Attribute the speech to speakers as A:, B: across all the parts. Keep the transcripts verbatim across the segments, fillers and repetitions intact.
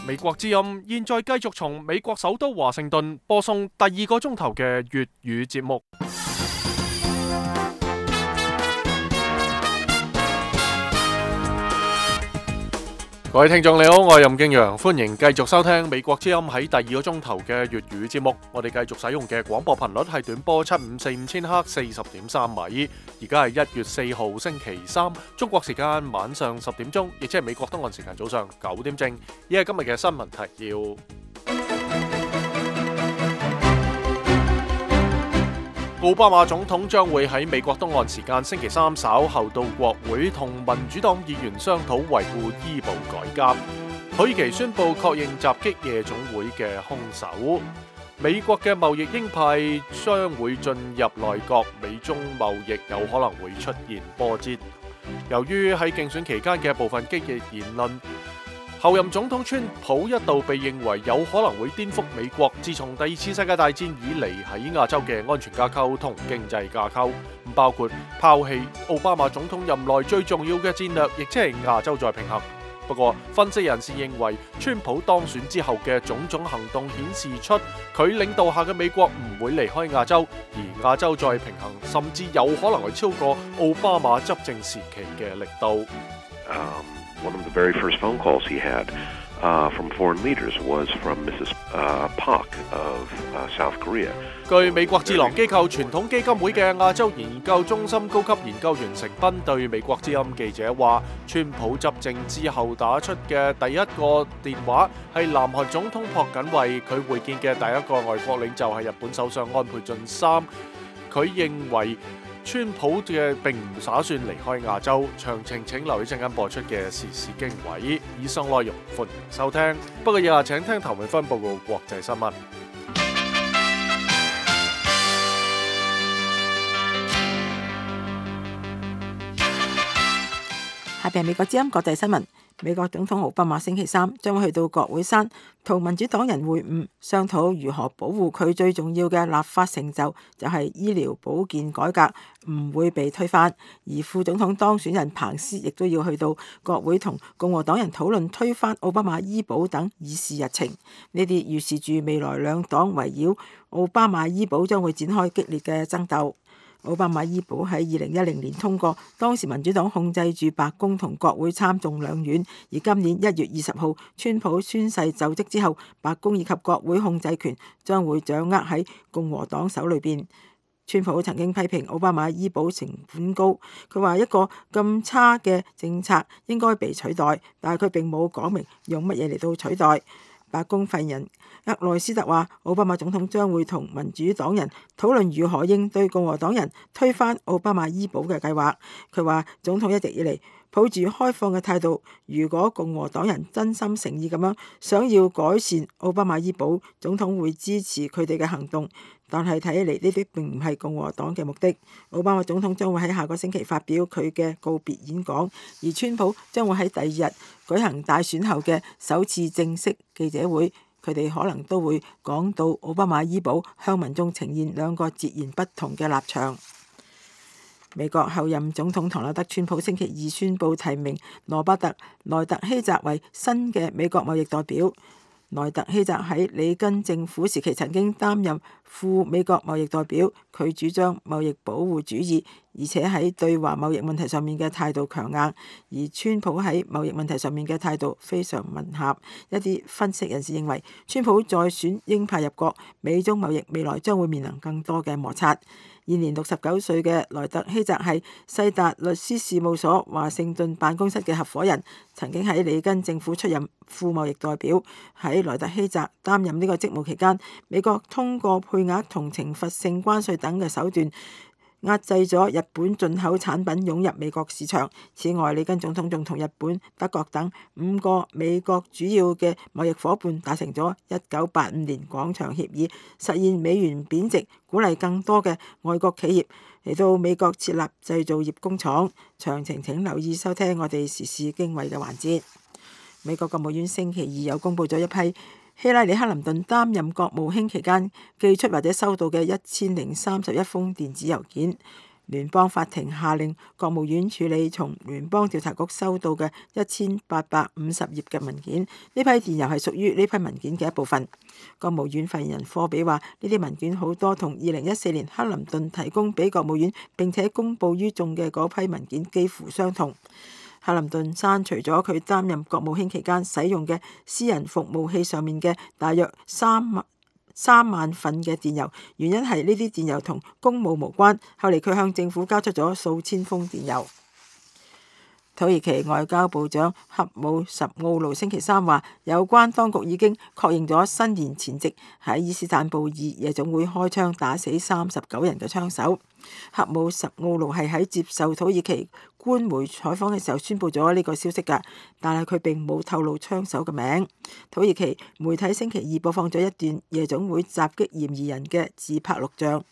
A: 美國之音現在繼續從美國首都華盛頓播送第二個鐘頭嘅粵語節目。各位聽眾你好，我係任敬陽，歡迎繼續收聽美國之音喺第二個鐘頭嘅粵語節目。我哋繼續使用嘅廣播頻率係短波七五四五千赫四十點三米。而家係一月四號星期三，中國時間晚上十點鐘，亦即係美國東岸時間早上九點正。以下今日嘅新聞提要：奧巴馬總統將會喺美國東岸時間星期三稍後到國會同民主黨議員商討維護醫保改革。土耳其宣布確認襲擊夜總會嘅兇手。美國嘅貿易鷹派將會進入內閣，美中貿易有可能會出現波折。由於喺競選期間嘅部分激烈言論，後任總統川普一度被認為有可能會顛覆美國自從第二次世界大戰以嚟喺亞洲嘅安全架構同經濟架構，包括拋棄奧巴馬總統任內最重要嘅戰略，亦即係亞洲再平衡。不過，分析人士認為，川普當選之後嘅種種行動顯示出佢領導下嘅美國唔會離開亞洲，而亞洲再平衡甚至有可能係超過奧巴馬執政時期嘅力度。
B: Um, one of the very first phone calls he had uh, from foreign leaders was from Missus Uh, Park of uh, South Korea.
A: 據美國智囊機構傳統基金會嘅亞洲研究中心高級研究員成斌對美國之音記者話，川普執政之後打出嘅第一個電話係南韓總統朴槿惠，佢會見嘅第一個外國領袖係日本首相安倍晉三。佢認為川普嘅並唔打算離開亞洲，詳情請留意陣間播出嘅時事經緯。以上內容歡迎收聽。不過以下請聽頭尾分報告國際新聞。
C: 下邊係美國之音國際新聞。美國總統奧巴馬星期三將會去到國會山同民主黨人會晤，商討如何保護佢最重要嘅立法成就，就係醫療保健改革唔會被推翻。而副總統當選人彭斯亦都要去到國會同共和黨人討論推翻奧巴馬醫保等議事日程。呢啲預示住未來兩黨圍繞奧巴馬醫保將會展開激烈嘅爭鬥。奧巴馬醫保喺二零一零年通過，當時民主黨控制住白宮同國會參眾兩院，而今年一月二十號，川普宣誓就職之後，白宮以及國會控制權將會掌握喺共和黨手裏邊。川普曾經批評奧巴馬醫保成本高，佢話一個咁差嘅政策應該被取代，但係佢並冇講明用乜嘢嚟到取代。白宮發言人厄內斯特話，奧巴馬總統將會同民主黨人討論如何應對共和黨人推翻奧巴馬醫保嘅計劃。佢話總統一直以嚟抱住開放嘅態度，如果共和黨人真心誠意咁樣想要改善奧巴馬醫保，總統會支持佢哋嘅行動。但係睇起嚟呢啲並唔係共和黨嘅目的。奧巴馬總統將會喺下個星期發表佢嘅告別演講，而川普將會喺第二日舉行大選後嘅首次正式記者會。佢哋可能都會講到奧巴馬醫保，向民眾呈現兩個截然不同嘅立場。美國後任總統唐納德·川普星期二宣布提名羅伯特·萊特希澤為新嘅美國貿易代表。萊特希澤喺里根政府時期曾經擔任副美國貿易代表，佢主張貿易保護主義，而且喺對華貿易問題上面嘅態度強硬，而川普喺貿易問題上面嘅態度非常吻合。一啲分析人士認為，川普再選鷹派入國，美中貿易未來將會面臨更多嘅摩擦。現年六十九歲嘅萊特希澤係世達律師事務所華盛頓辦公室嘅合夥人，曾經喺里根政府出任副貿易代表。喺萊特希澤擔任呢個職務期間，美國通過配額同懲罰性關稅等嘅手段壓制咗日本進口產品湧入美國市場。此外，里根總統仲同日本、德國等五個美國主要嘅貿易夥伴達成咗一九八五年廣場協議，實現美元貶值，鼓勵更多嘅外國企業嚟到美國設立製造業工廠。詳情請留意收聽我哋時事經緯嘅環節。美國國務院星期二又公布咗一批希拉里克林頓擔任國務卿期間寄出或者收到嘅一千零三十一封電子郵件。聯邦法庭下令國務院處理從聯邦調查局收到嘅一千八百五十頁嘅文件，呢批電郵係屬於呢批文件嘅一部分。國務院發言人科比話：呢啲文件好多同二零一四年克林頓提供俾國務院並且公佈於眾嘅嗰批文件幾乎相同。克林頓刪除咗佢擔任國務卿期間使用嘅私人服務器上面嘅大約三萬三萬份嘅電郵，原因係呢啲電郵同公務無關。後嚟佢向政府交出咗數千封電郵。土耳其外交部長恰武什奧盧星期三話，有關當局已經確認咗新年前夕喺伊斯坦布爾夜總會開槍打死三十九人嘅槍手。恰武什奧盧係喺接受土耳其官媒採訪嘅時候宣布咗呢個消息㗎，但係佢並冇透露槍手嘅名。土耳其媒體星期二播放咗一段夜總會襲擊嫌疑人嘅自拍錄像。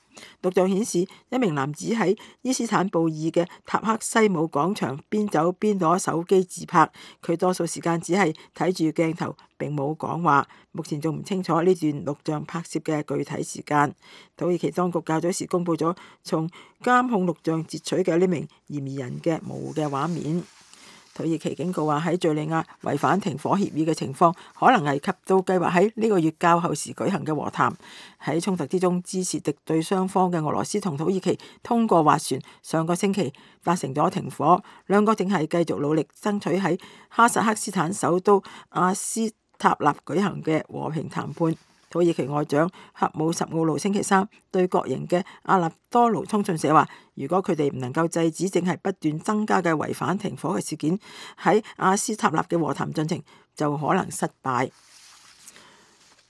C: 錄像顯示一名男子喺伊斯坦布爾嘅塔克西姆廣場邊走邊攞手機自拍，佢多數時間只係睇住鏡頭並冇講話。目前仲唔清楚呢段錄像拍攝嘅具體時間。土耳其當局較早時公佈咗從監控錄像截取嘅呢名嫌疑人嘅模糊嘅畫面。土耳其警告話喺敘利亞違反停火協議嘅情況可能危及到計劃喺呢個月較後時舉行嘅和談。喺衝突之中支持敵對雙方嘅俄羅斯同土耳其通過斡旋，上個星期達成咗停火，兩國正係繼續努力爭取喺哈薩克斯坦首都阿斯塔納舉行嘅和平談判。土耳其外長恰武什奧盧星期三對國營嘅阿納多盧通訊社話，如果佢哋唔能夠制止正係不斷增加嘅違反停火嘅事件，喺阿斯塔納嘅和談進程就可能失敗。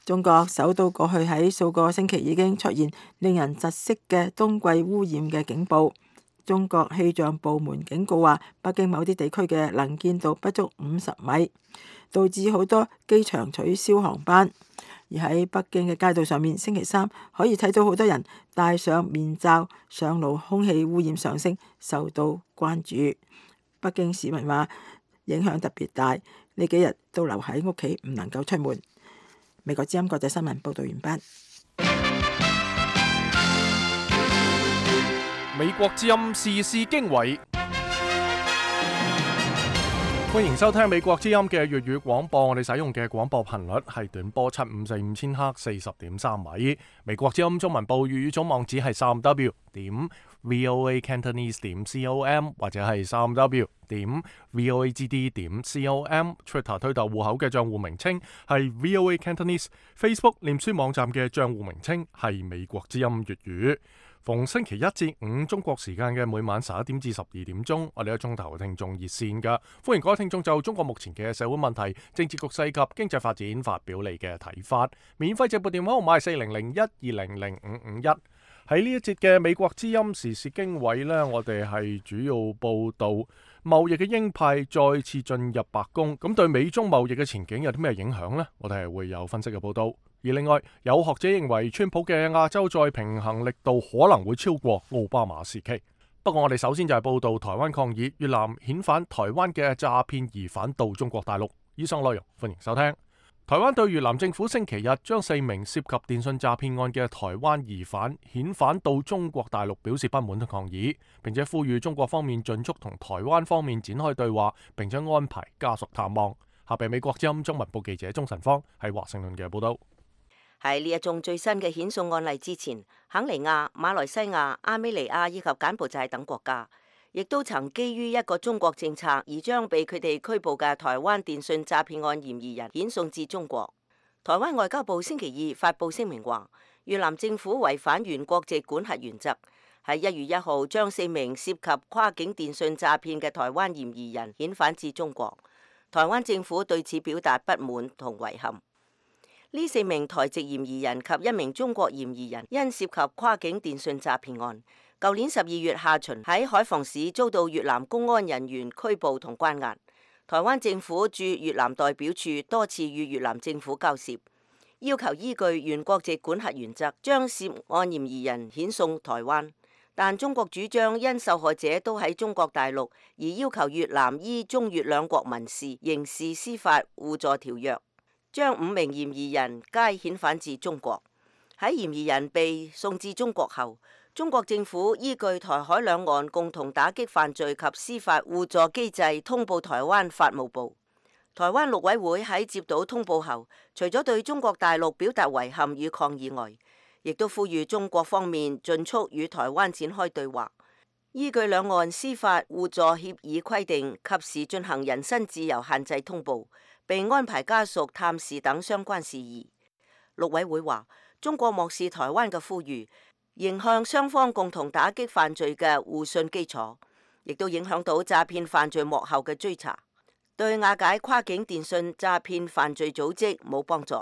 C: 中國首都過去喺數個星期已經出現令人窒息嘅冬季污染嘅警報。中國氣象部門警告話，北京某啲地區嘅能見度不足五十米，導致好多機場取消航班。而喺北京嘅街道上面，星期三可以睇到好多人戴上面罩上路，空氣污染上升，受到關注。北京市民話影響特別大，呢幾日都留喺屋企，唔能夠出門。美國之音國際新聞報道完畢。
A: 美國之音時事經緯。歡迎收聽美國之音嘅粵語廣播，我哋使用嘅廣播頻率係短波七五四五千赫四十點三米。美國之音中文部粵語總網址係三 w 點 voa cantonese 點 com 或者係三 w 點 voa gd 點 com。Twitter 推特戶口嘅賬戶名稱係 voa cantonese。Facebook 臉書網站嘅賬戶名稱係美國之音粵語。逢星期一至五中國時間嘅每晚十一點至十二點鐘，我哋有鐘頭聽眾熱線噶，歡迎各位聽眾就中國目前嘅社會問題、政治局勢及經濟發展發表你嘅睇法。免費直撥電話號碼係四零零一二零零五五一。喺呢一節嘅美國之音時事經緯呢，我哋係主要報道貿易嘅鷹派再次進入白宮，咁對美中貿易嘅前景有啲咩影響呢？我哋係會有分析嘅報道。而另外，有學者認為，川普嘅亞洲再平衡力度可能會超過奧巴馬時期。不過，我哋首先就係報道台灣抗議越南遣返台灣嘅詐騙疑犯到中國大陸。以上內容歡迎收聽。台灣對越南政府星期日將四名涉及電信詐騙案嘅台灣疑犯遣返到中國大陸表示不滿同抗議，並且呼籲中國方面盡速同台灣方面展開對話，並且安排家屬探望。下邊美國之音中文部記者鍾晨芳喺華盛頓嘅報道。
D: 喺呢一宗最新嘅遣送案例之前，肯尼亞、馬來西亞、阿美尼亞以及柬埔寨等國家，亦都曾基於一個中國政策而將被佢哋拘捕嘅台灣電信詐騙案嫌疑人遣送至中國。台灣外交部星期二發布聲明話，越南政府違反原國籍管轄原則，喺一月一號將四名涉及跨境電信詐騙嘅台灣嫌疑人遣返至中國。台灣政府對此表達不滿同遺憾。呢四名台籍嫌疑人及一名中國嫌疑人因涉及跨境電信詐騙案，舊年十二月下旬喺海防市遭到越南公安人員拘捕同關押。台灣政府駐越南代表處多次與越南政府交涉，要求依據原國籍管轄原則將涉案嫌疑人遣送台灣，但中國主張因受害者都喺中國大陸，而要求越南依中越兩國民事、刑事司法互助條約，將五名嫌疑人皆遣返至中國。喺嫌疑人被送至中國後，中國政府依據台海兩岸共同打擊犯罪及司法互助機制通報台灣法務部。台灣陸委會喺接到通報後，除咗對中國大陸表達遺憾與抗議外，亦都呼籲中國方面盡速與台灣展開對話，依據兩岸司法互助協議規定，及時進行人身自由限制通報，並安排家屬探視等相關事宜。陸委會話，中國漠視台灣嘅呼籲，影響雙方共同打擊犯罪嘅互信基礎，亦都影響到詐騙犯罪幕後嘅追查，對瓦解跨境電信詐騙犯罪組織冇幫助。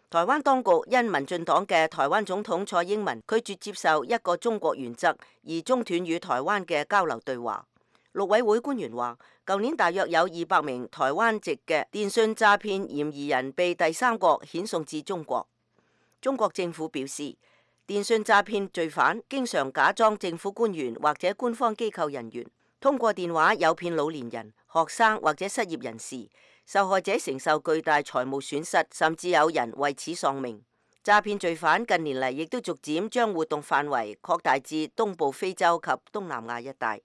D: 台灣當局因民進黨嘅台灣總統蔡英文拒絕接受一個中國原則，而中斷與台灣嘅交流對話。陸委會官員話，舊年大約有二百名台灣籍嘅電信詐騙嫌疑人被第三國遣送至中國。中國政府表示，電信詐騙罪犯經常假裝政府官員或者官方機構人員，通過電話誘騙老年人、學生或者失業人士，受害者承受巨大財務損失，甚至有人為此喪命。詐騙罪犯近年嚟亦都逐漸將活動範圍擴大至東部非洲及東南亞一帶。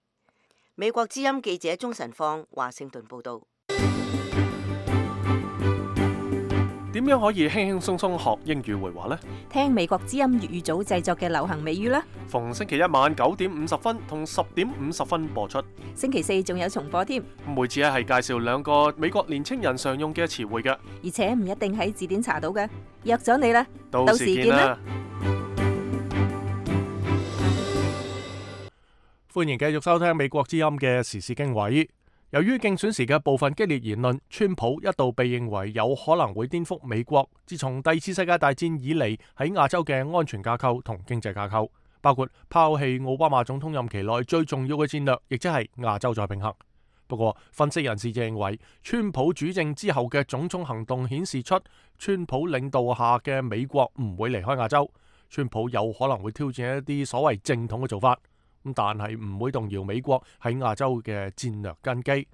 D: 美國之音記者鍾晨芳華盛頓報道。
A: 點樣可以輕輕鬆鬆學英語會話呢？
E: 聽美國之音粵語組製作嘅流行美語啦。
A: 逢星期一晚九點五十分同十點五十分播出。
E: 星期四仲有重播添。
A: 每次係介紹兩個美國年青人常用嘅詞彙嘅，
E: 而且唔一定喺字典查到嘅。約咗你啦，
A: 到時見啦。歡迎繼續收聽美國之音嘅時事經緯。由於競選時嘅部分激烈言論，川普一度被認為有可能會顛覆美國自從第二次世界大戰以嚟喺亞洲嘅安全架構同經濟架構，包括拋棄奧巴馬總統任期內最重要嘅戰略，亦即係亞洲再平衡。不過，分析人士就認為，川普主政之後嘅種種行動顯示出，川普領導下嘅美國唔會離開亞洲，川普有可能會挑戰一啲所謂正統嘅做法。但係唔會動搖美國喺亞洲嘅戰略根基。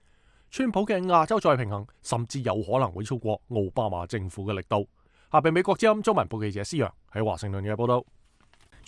A: 川普嘅亞洲再平衡甚至有可能會超過奧巴馬政府嘅力度。下邊美國之音中文部記者施洋喺華盛頓嘅報道。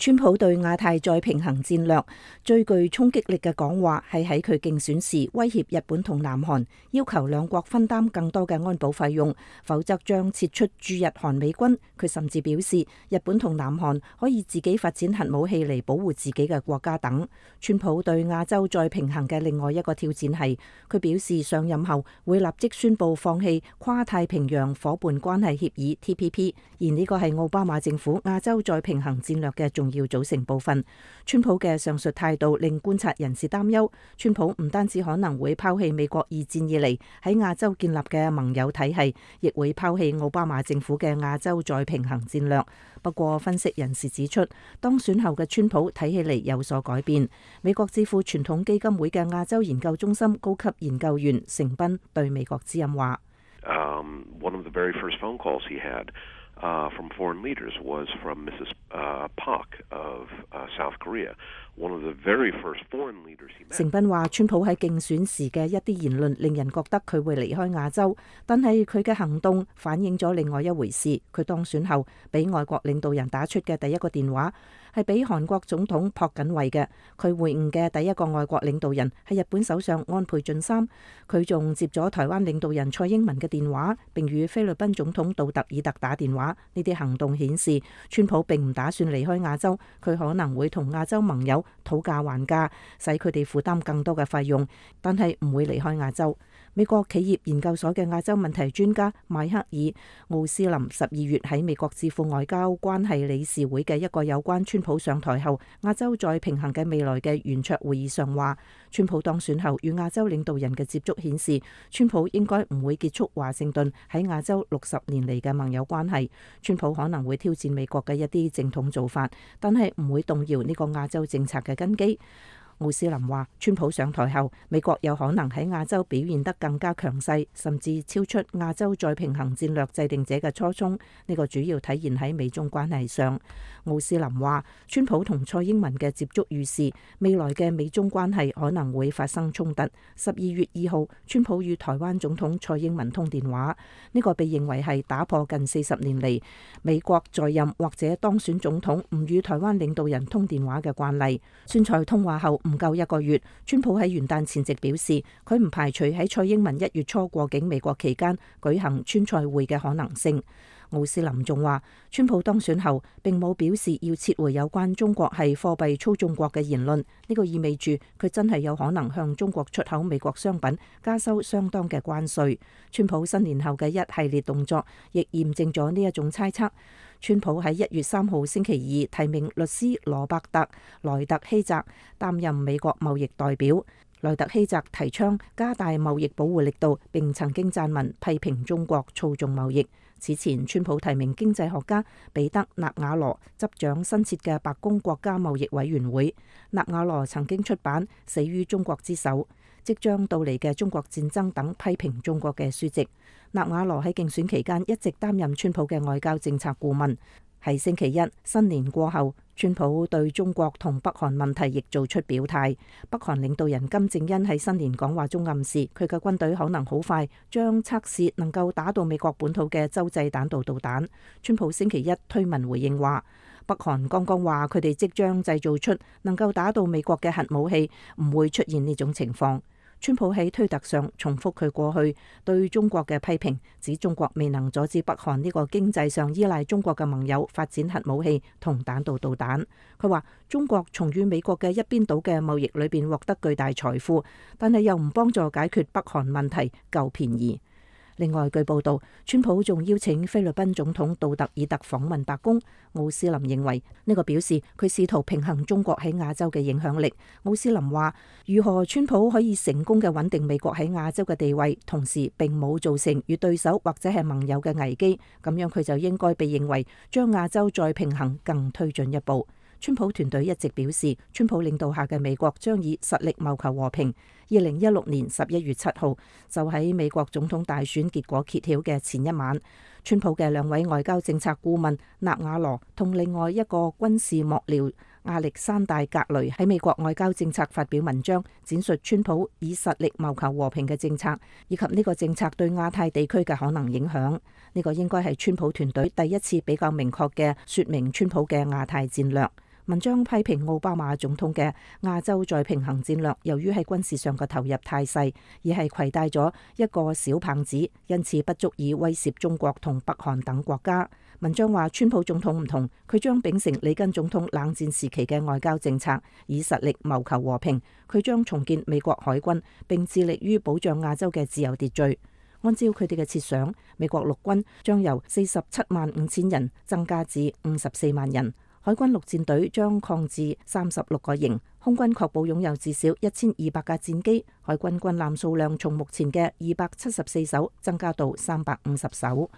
E: 川普對亞太再平衡戰略最具衝擊力嘅講話係喺佢競選時威脅日本同南韓，要求兩國分擔更多嘅安保費用，否則將撤出駐日韓美軍。佢甚至表示日本同南韓可以自己發展核武器嚟保護自己嘅國家等。川普對亞洲再平衡嘅另外一個挑戰係，佢表示上任後會立即宣布放棄跨太平洋夥伴關係協議 T P P， 而呢個係奧巴馬政府亞洲再平衡戰略嘅重要組成部分。川普嘅上述態度令觀察人士擔憂，川普唔單止可能會拋棄美國二戰以嚟喺亞洲建立嘅盟友體系，亦會拋棄奧巴馬政府嘅亞洲再平衡戰略。不過，分析人士指出，當選後嘅川普睇起嚟有所改變。美國智庫傳統基金會嘅亞洲研究中心高級研究員成斌對美國之音話
B: ：um, one of the very first phone calls he had Uh, from foreign leaders was from Missus Uh, Park of uh, South Korea. One of the very first foreign leaders he met.
E: 成斌話，川普喺競選時嘅一啲言論令人覺得佢會離開亞洲，但係佢嘅行動反映咗另外一回事。佢當選後俾外國領導人打出嘅第一個電話係俾韓國總統朴槿惠嘅。佢會晤嘅第一個外國領導人係日本首相安倍晉三。佢仲接咗台灣領導人蔡英文嘅電話，並與菲律賓總統杜特爾特打電話。呢啲行動顯示，川普並唔打算離開亞洲，佢可能會同亞洲盟友討價還價，使佢哋負擔更多嘅費用，但係唔會離開亞洲。美國企業研究所嘅亞洲問題專家邁克爾奧斯林十二月喺美國智庫外交關係理事會嘅一個有關川普上台後亞洲再平衡嘅未來嘅圓桌會議上話，川普當選後與亞洲領導人嘅接觸顯示，川普應該唔會結束華盛頓喺亞洲六十年嚟嘅盟友關係。川普可能會挑戰美國嘅一啲正統做法，但係唔會動搖呢個亞洲政策嘅根基。奧斯林話，川普上台後，美國有可能喺亞洲表現得更加強勢，甚至超出亞洲再平衡戰略制定者嘅初衷。呢個主要體現喺美中關係上。奧斯林話，川普同蔡英文嘅接觸預示未來嘅美中關係可能會發生衝突。十二月二號，川普與台灣總統蔡英文通電話，呢個被認為係打破近四十年嚟美國在任或者當選總統唔與台灣領導人通電話嘅慣例。川蔡通話後唔夠一個月，川普喺元旦前夕表示，佢唔排除喺蔡英文一月初過境美國期間舉行川蔡會嘅可能性。奧斯林仲話，川普當選後並冇表示要撤回有關中國係貨幣操縱國嘅言論，呢個意味住佢真係有可能向中國出口美國商品加收相當嘅關稅。川普新年後嘅一系列動作亦驗證咗呢一種猜測。川普喺一月三號星期二提名律師羅伯特萊特希澤擔任美國貿易代表。萊特希澤提倡加大貿易保護力度，並曾經撰文批評中國操縱貿易。此前，川普提名經濟學家彼得納瓦羅執掌新設嘅白宮國家貿易委員會。納瓦羅曾經出版《死於中國之手》、即將到嚟嘅中國戰爭等批評中國嘅書籍。納瓦羅喺競選期間一直擔任川普嘅外交政策顧問。喺星期一新年過後，川普對中國同北韓問題亦做出表態。北韓領導人金正恩喺新年講話中暗示，佢嘅軍隊可能好快將測試能夠打到美國本土嘅洲際彈道導彈。川普星期一推文回應話，北韓剛剛話佢哋即將製造出能夠打到美國嘅核武器，唔會出現呢種情況。川普喺推特上重複佢過去對中國嘅批評，指中國未能阻止北韓呢個經濟上依賴中國嘅盟友發展核武器同彈道導彈。佢話中國從與美國嘅一邊倒嘅貿易裏邊獲得巨大財富，但係又唔幫助解決北韓問題，夠便宜。另外，據報道，川普仲邀請菲律賓總統杜特爾特訪問白宮。奧斯林認為呢個表示佢試圖平衡中國喺亞洲嘅影響力。奧斯林話，如何川普可以成功嘅穩定美國喺亞洲嘅地位，同時並冇造成與對手或者係盟友嘅危機，咁樣佢就應該被認為將亞洲再平衡更推進一步。川普團隊一直表示，川普領導下嘅美國將以實力謀求和平。二零一六年十一月七號，就喺美國總統大選結果揭曉嘅前一晚，川普嘅兩位外交政策顧問納瓦羅同另外一個軍事幕僚亞歷山大格雷喺美國外交政策發表文章，展述川普以實力謀求和平嘅政策，以及呢個政策對亞太地區嘅可能影響。呢個應該係川普團隊第一次比較明確嘅說明川普嘅亞太戰略。文章批評奧巴馬總統嘅亞洲再平衡戰略，由於喺軍事上嘅投入太細，而係攜帶咗一個小棒子，因此不足以威懾中國同北韓等國家。文章話，川普總統唔同，佢將秉承里根總統冷戰時期嘅外交政策，以實力謀求和平。佢將重建美國海軍，並致力於保障亞洲嘅自由秩序。按照佢哋嘅設想，美國陸軍將由四十七萬五千人增加至五十四萬人。海軍陸戰隊將擴至三十六個營，空軍確保擁有至少一千二百架戰機，海軍軍艦數量從目前嘅二百七十四艘增加到三百五十艘。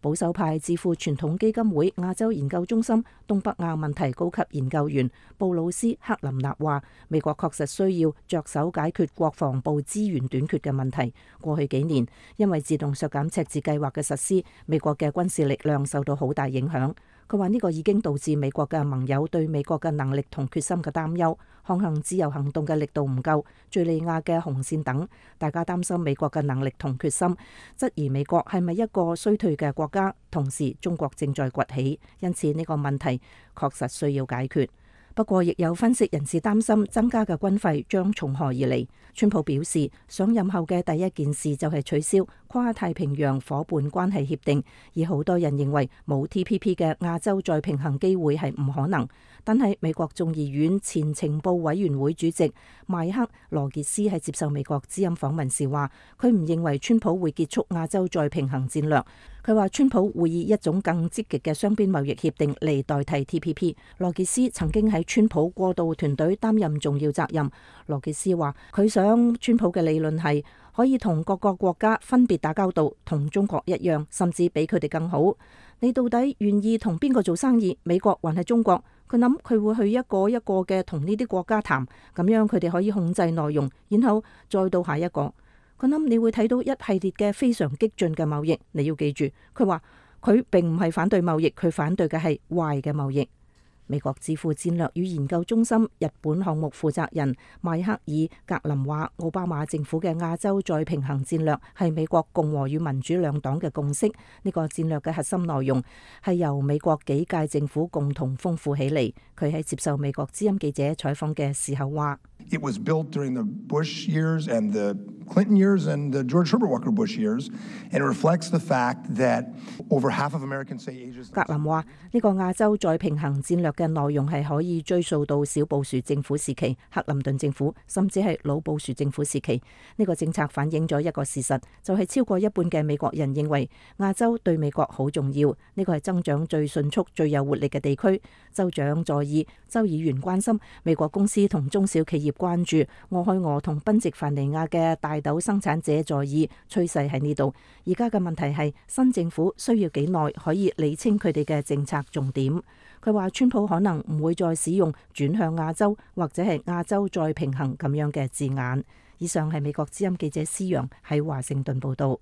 E: 保守派智庫傳統基金會亞洲研究中心東北亞問題高級研究員布魯斯克林納話，美國確實需要着手解決國防部資源短缺嘅問題。過去幾年，因為自動削減赤字計劃嘅實施，美國嘅軍事力量受到好大影響。佢話呢個已經導致美國嘅盟友對美國嘅能力同決心嘅擔憂，航行自由行動嘅力度唔夠，敘利亞嘅紅線等，大家擔心美國嘅能力同決心，質疑美國係咪一個衰退嘅國家。同時，中國正在崛起，因此呢個問題確實需要解決。不過，亦有分析人士擔心增加嘅軍費將從何而嚟。川普表示，上任後嘅第一件事就係取消跨太平洋夥伴關係協定，而好多人認為冇 T P P 嘅亞洲再平衡機會係唔可能。但係美國眾議院前情報委員會主席邁克羅傑斯喺接受美國之音訪問時話，佢唔認為川普會結束亞洲再平衡戰略。佢話川普會以一種更積極嘅雙邊貿易協定嚟代替 T P P。羅傑斯曾經喺川普過渡團隊擔任重要責任。羅傑斯話佢想川普嘅理論係可以同各個國家分別打交道，同中國一樣，甚至比佢哋更好。你到底願意同邊個做生意？美國還係中國？佢諗佢會去一個一個嘅同呢啲國家談，咁樣佢哋可以控制內容，然後再到下一個。佢諗你會睇到一系列嘅非常激進嘅貿易。你要記住，佢話佢並唔係反對貿易，佢反對嘅係壞嘅貿易。美國智庫戰略與研究中心日本項目負責人邁克爾格林話，奧巴馬政府嘅亞洲再平衡戰略係美國共和與民主兩黨嘅共識。呢個戰略嘅核心內容係由美國幾屆政府共同豐富起嚟。佢喺接受美國之音記者採訪嘅時候話
F: ：It was built during the Bush years and the Clinton years and the George Herbert Walker Bush years, and it reflects the fact that over half of Americans say Asia.
E: 格林話：呢個亞洲再平衡戰略嘅內容係可以追溯到小布殊政府時期、克林頓政府，甚至係老布殊政府時期。呢個政策反映咗一個事實，就係超過一半嘅美國人認為亞洲對美國好重要。呢個係增長最迅速、最有活力嘅地區。州長在意，州議員關心，美國公司同中小企業關注，俄亥俄同賓夕凡尼亞嘅大豆生產者在意，趨勢喺呢度。而家嘅問題係新政府需要幾耐可以理清佢哋嘅政策重點。佢話川普可能唔會再使用轉向亞洲或者係亞洲再平衡咁樣嘅字眼。以上係美國之音記者施陽喺華盛頓報道。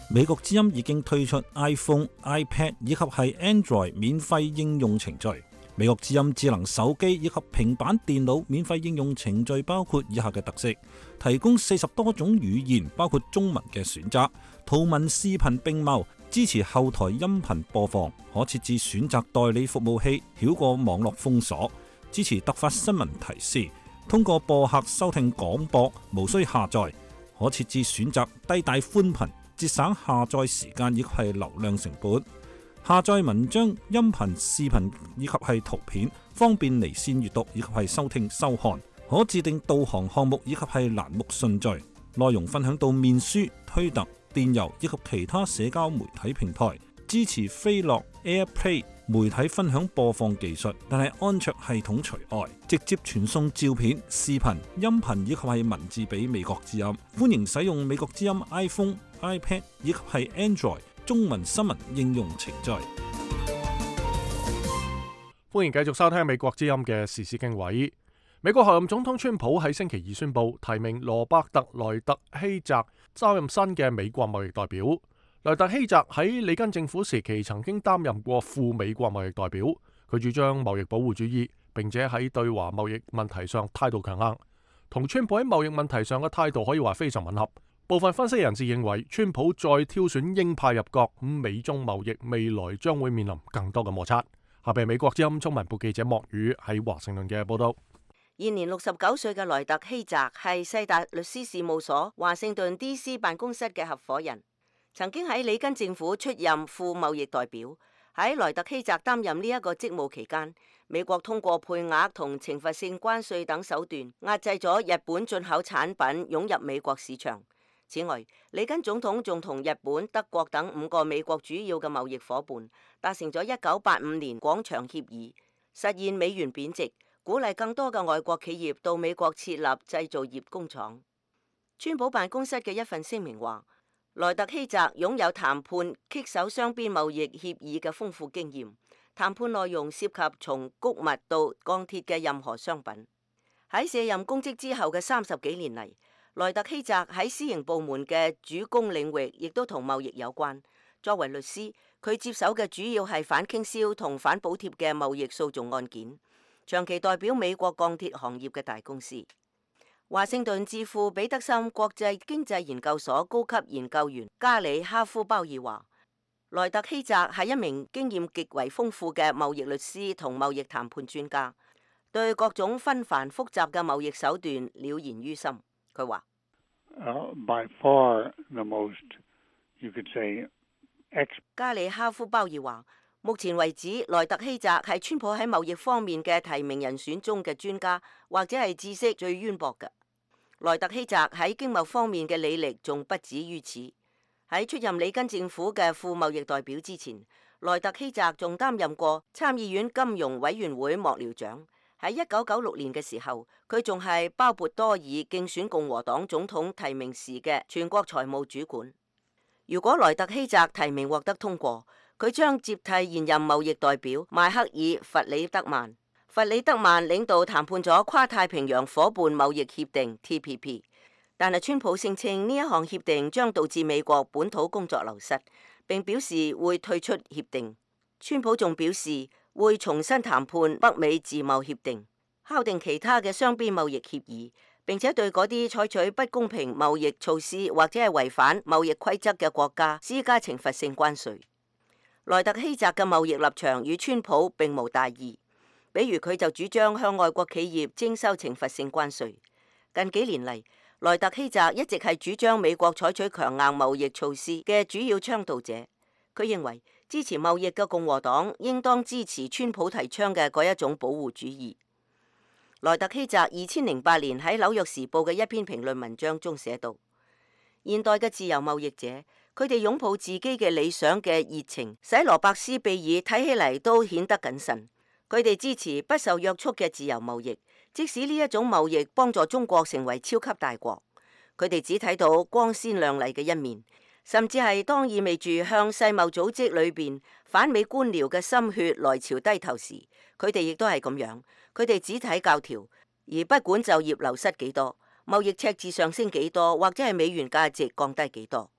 G: 美國之音已經推出 iPhone、iPad 以及係 Android 免費應用程序。美國之音智能手機以及平板電腦免費應用程序包括以下嘅特色：提供四十多種語言，包括中文嘅選擇，圖文視頻並茂，支持後台音頻播放，可設置選擇代理服務器，繞過網絡封鎖，支持突發新聞提示，通過播客收聽廣播，無需下載，可設置選擇低帶寬頻，節省下載時間以及係流量成本。下載文章、音頻、視頻以及係圖片，方便離線閱讀以及係收聽收看。可自定導航項目以及係欄目順序。內容分享到面書、推特、電郵以及其他社交媒體平台。支持飛樂 AirPlay 媒體分享播放技術，但係安卓系統除外。直接傳送照片、視頻、音頻以及係文字俾美國之音。歡迎使用美國之音 iPhone、iPad 以及係 Android中文新聞應用程序。
A: 歡迎繼續收聽美國之音嘅時事經緯。美國候任總統川普喺星期二宣布提名羅伯特萊特希澤擔任新嘅美國貿易代表。萊特希澤喺里根政府時期曾經擔任過副美國貿易代表，佢主張貿易保護主義，並且喺對華貿易問題上態度強硬，同川普喺貿易問題上嘅態度可以話非常吻合。部分分析人士認為，川普再挑選鷹派入閣，咁美中貿易未來將會面臨更多嘅摩擦。下邊美國之音中文部記者莫宇喺華盛頓嘅報道。
D: 現年六十九歲嘅萊特希澤係世達律師事務所華盛頓 D C 辦公室嘅合夥人，曾經喺里根政府出任副貿易代表。喺萊特希澤擔任呢一個職務期間，美國通過配額同懲罰性關稅等手段壓制咗日本進口產品湧入美國市場。此外，里根總統仲同日本、德國等五個美國主要嘅貿易夥伴達成咗一九八五年廣場協議，實現美元貶值，鼓勵更多嘅外國企業到美國設立製造業工廠。川普辦公室嘅一份聲明話，萊特希澤擁有談判棘手雙邊貿易協議嘅豐富經驗，談判內容涉及從穀物到鋼鐵嘅任何商品。喺卸任公職之後嘅三十幾年嚟，萊特希澤喺私營部門嘅主攻領域亦都同貿易有關。作為律師，佢接手嘅主要係反傾銷同反補貼嘅貿易訴訟案件，長期代表美國鋼鐵行業嘅大公司。華盛頓智庫彼得森國際經濟研究所高級研究員加里哈夫鮑爾話，萊特希澤係一名經驗極為豐富嘅貿易律師同貿易談判專家，對各種紛繁複雜嘅貿易手段了然於心。佢話
H: Uh, by far the most, you could say, ex-
D: 加里哈夫鮑爾話，目前為止，萊特希澤係川普喺貿易方面嘅提名人選中嘅專家，或者係知識最淵博嘅。萊特希澤喺經貿方面嘅履歷仲不止於此。喺出任里根政府嘅副貿易代表之前，萊特希澤仲擔任過參議院金融委員會幕僚長。喺一九九六年嘅時候，佢仲係鮑勃多爾競選共和黨總統提名時嘅全國財務主管。如果萊特希澤提名獲得通過，佢將接替現任貿易代表邁克爾·弗里德曼。弗里德曼領導談判咗跨太平洋夥伴貿易協定 T P P， 但係川普聲稱呢一項協定將導致美國本土工作流失，並表示會退出協定。川普仲表示會重新談判北美自貿協定，敲定其他嘅雙邊貿易協議，並且對嗰啲採取不公平貿易措施或者係違反貿易規則嘅國家施加懲罰性關稅。萊特希澤嘅貿易立場與川普並無大異，比如佢就主張向外國企業徵收懲罰性關稅。近幾年嚟，萊特希澤一直係主張美國採取強硬貿易措施嘅主要倡導者。佢認為支持貿易嘅共和黨應當支持川普提倡嘅嗰一種保護主義。萊特希澤二千零八年喺紐約時報嘅一篇評論文章中寫道：現代嘅自由貿易者，佢哋擁抱自己嘅理想嘅熱情，使羅伯斯庇爾睇起嚟都顯得謹慎。佢哋支持不受約束嘅自由貿易，即使呢一種貿易幫助中國成為超級大國。佢哋只睇到光鮮亮麗嘅一面，甚至係當意味住向世貿組織裏邊反美官僚嘅心血來潮低頭時，佢哋亦都係咁樣。佢哋只睇教條，而不管就業流失幾多，貿易赤字上升幾多，或者係美元價值降低幾多。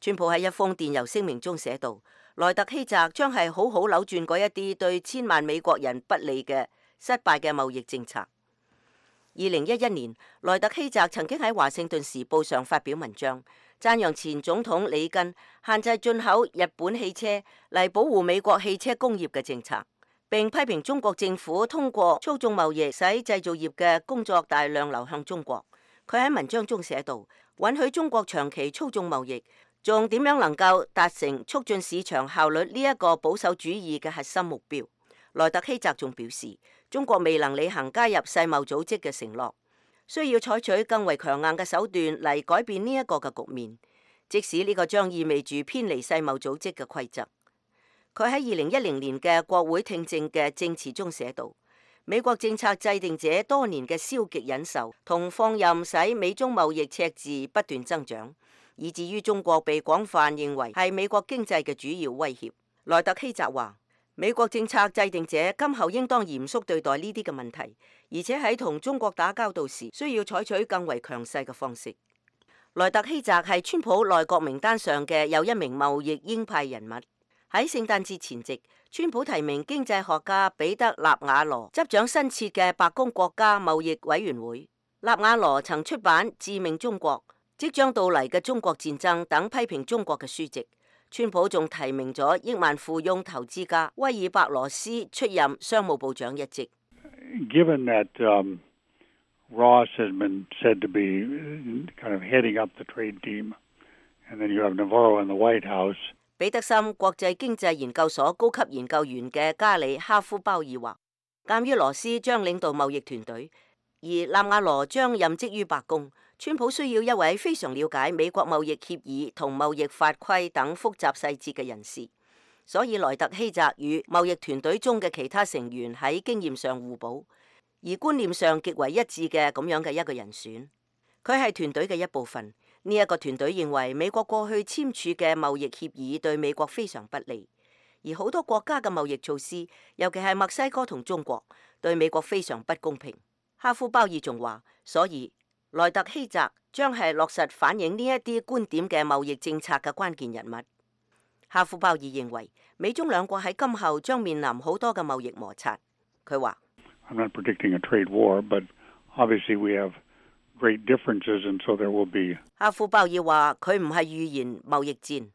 D: 川普喺一封電郵聲明中寫道：萊特希澤將係好好扭轉嗰一啲對千萬美國人不利嘅失敗嘅貿易政策。二零一一年，萊特希澤曾經喺華盛頓時報上發表文章，讚揚前總統里根限制進口日本汽車嚟保護美國汽車工業嘅政策，並批評中國政府通過操縱貿易使製造業嘅工作大量流向中國。佢喺文章中寫道：允許中國長期操縱貿易，仲點樣能夠達成促進市場效率呢一個保守主義嘅核心目標？萊特希澤仲表示，中國未能履行加入世貿組織嘅承諾，需要採取更為強硬嘅手段嚟改變呢一個嘅局面，即使呢個將意味住偏離世貿組織嘅規則。佢喺二零一零年嘅國會聽證嘅證詞中寫道：美國政策制定者多年嘅消極忍受同放任使美中貿易赤字不斷增長，以至於中國被廣泛認為係美國經濟嘅主要威脅。萊特希澤話：美國政策制定者今後應當嚴肅對待呢啲嘅問題，而且喺同中國打交道時需要採取更為強勢嘅方式。萊特希澤係川普內閣名單上嘅又一名貿易鷹派人物。喺聖誕節前夕，川普提名經濟學家彼得納瓦羅執掌新設嘅白宮國家貿易委員會。納瓦羅曾出版《致命中國》、即將到嚟嘅中國戰爭等批評中國嘅書籍。川普仲提名咗億萬富翁投資家威爾伯羅斯出任商務部長一職。
H: Given that um, Ross has been said to be kind of heading up the trade team, and then you have Navarro in the White House.
D: 彼得森國際經濟研究所高級研究員嘅加里哈夫鮑爾話，鑑於羅斯將領導貿易團隊，而納瓦羅將任職於白宮，川普需要一位非常了解美國貿易協議同貿易法規等複雜細節嘅人士，所以萊特希澤與貿易團隊中嘅其他成員喺經驗上互補，而觀念上極為一致嘅咁樣嘅一個人選。佢係團隊嘅一部分。呢一個團隊認為美國過去簽署嘅貿易協議對美國非常不利，而好多國家嘅貿易措施，尤其係墨西哥同中國，對美國非常不公平。哈夫鮑爾仲話，所以萊特希澤將係落實反映呢一啲觀點嘅貿易政策嘅關鍵人物。哈夫鮑爾認為美中兩國喺今後將面臨好多嘅貿易摩擦。佢話
H: I'm not predicting a trade war, but obviously we have great differences, and so there will be.
D: 哈夫鮑爾話：佢唔係預言貿易戰，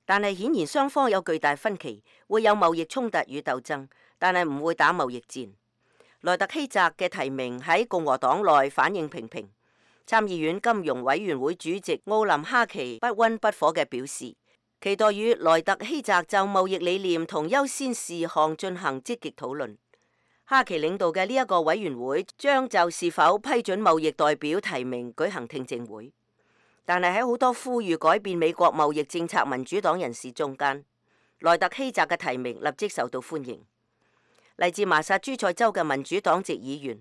D: 但係顯然雙方有巨大分歧，會有貿易衝突與鬥爭，但係唔會打貿易戰。萊特希澤嘅提名喺共和黨內反應平平。參議院金融委員會主席奧林哈奇不溫不火嘅表示，期待與萊特希澤就貿易理念同優先事項進行積極討論。哈奇領導嘅呢一個委員會將就是否批准貿易代表提名舉行聽證會，但係喺好多呼籲改變美國貿易政策民主黨人士中間，萊特希澤嘅提名立即受到歡迎。嚟自麻薩諸塞州嘅民主黨籍議員、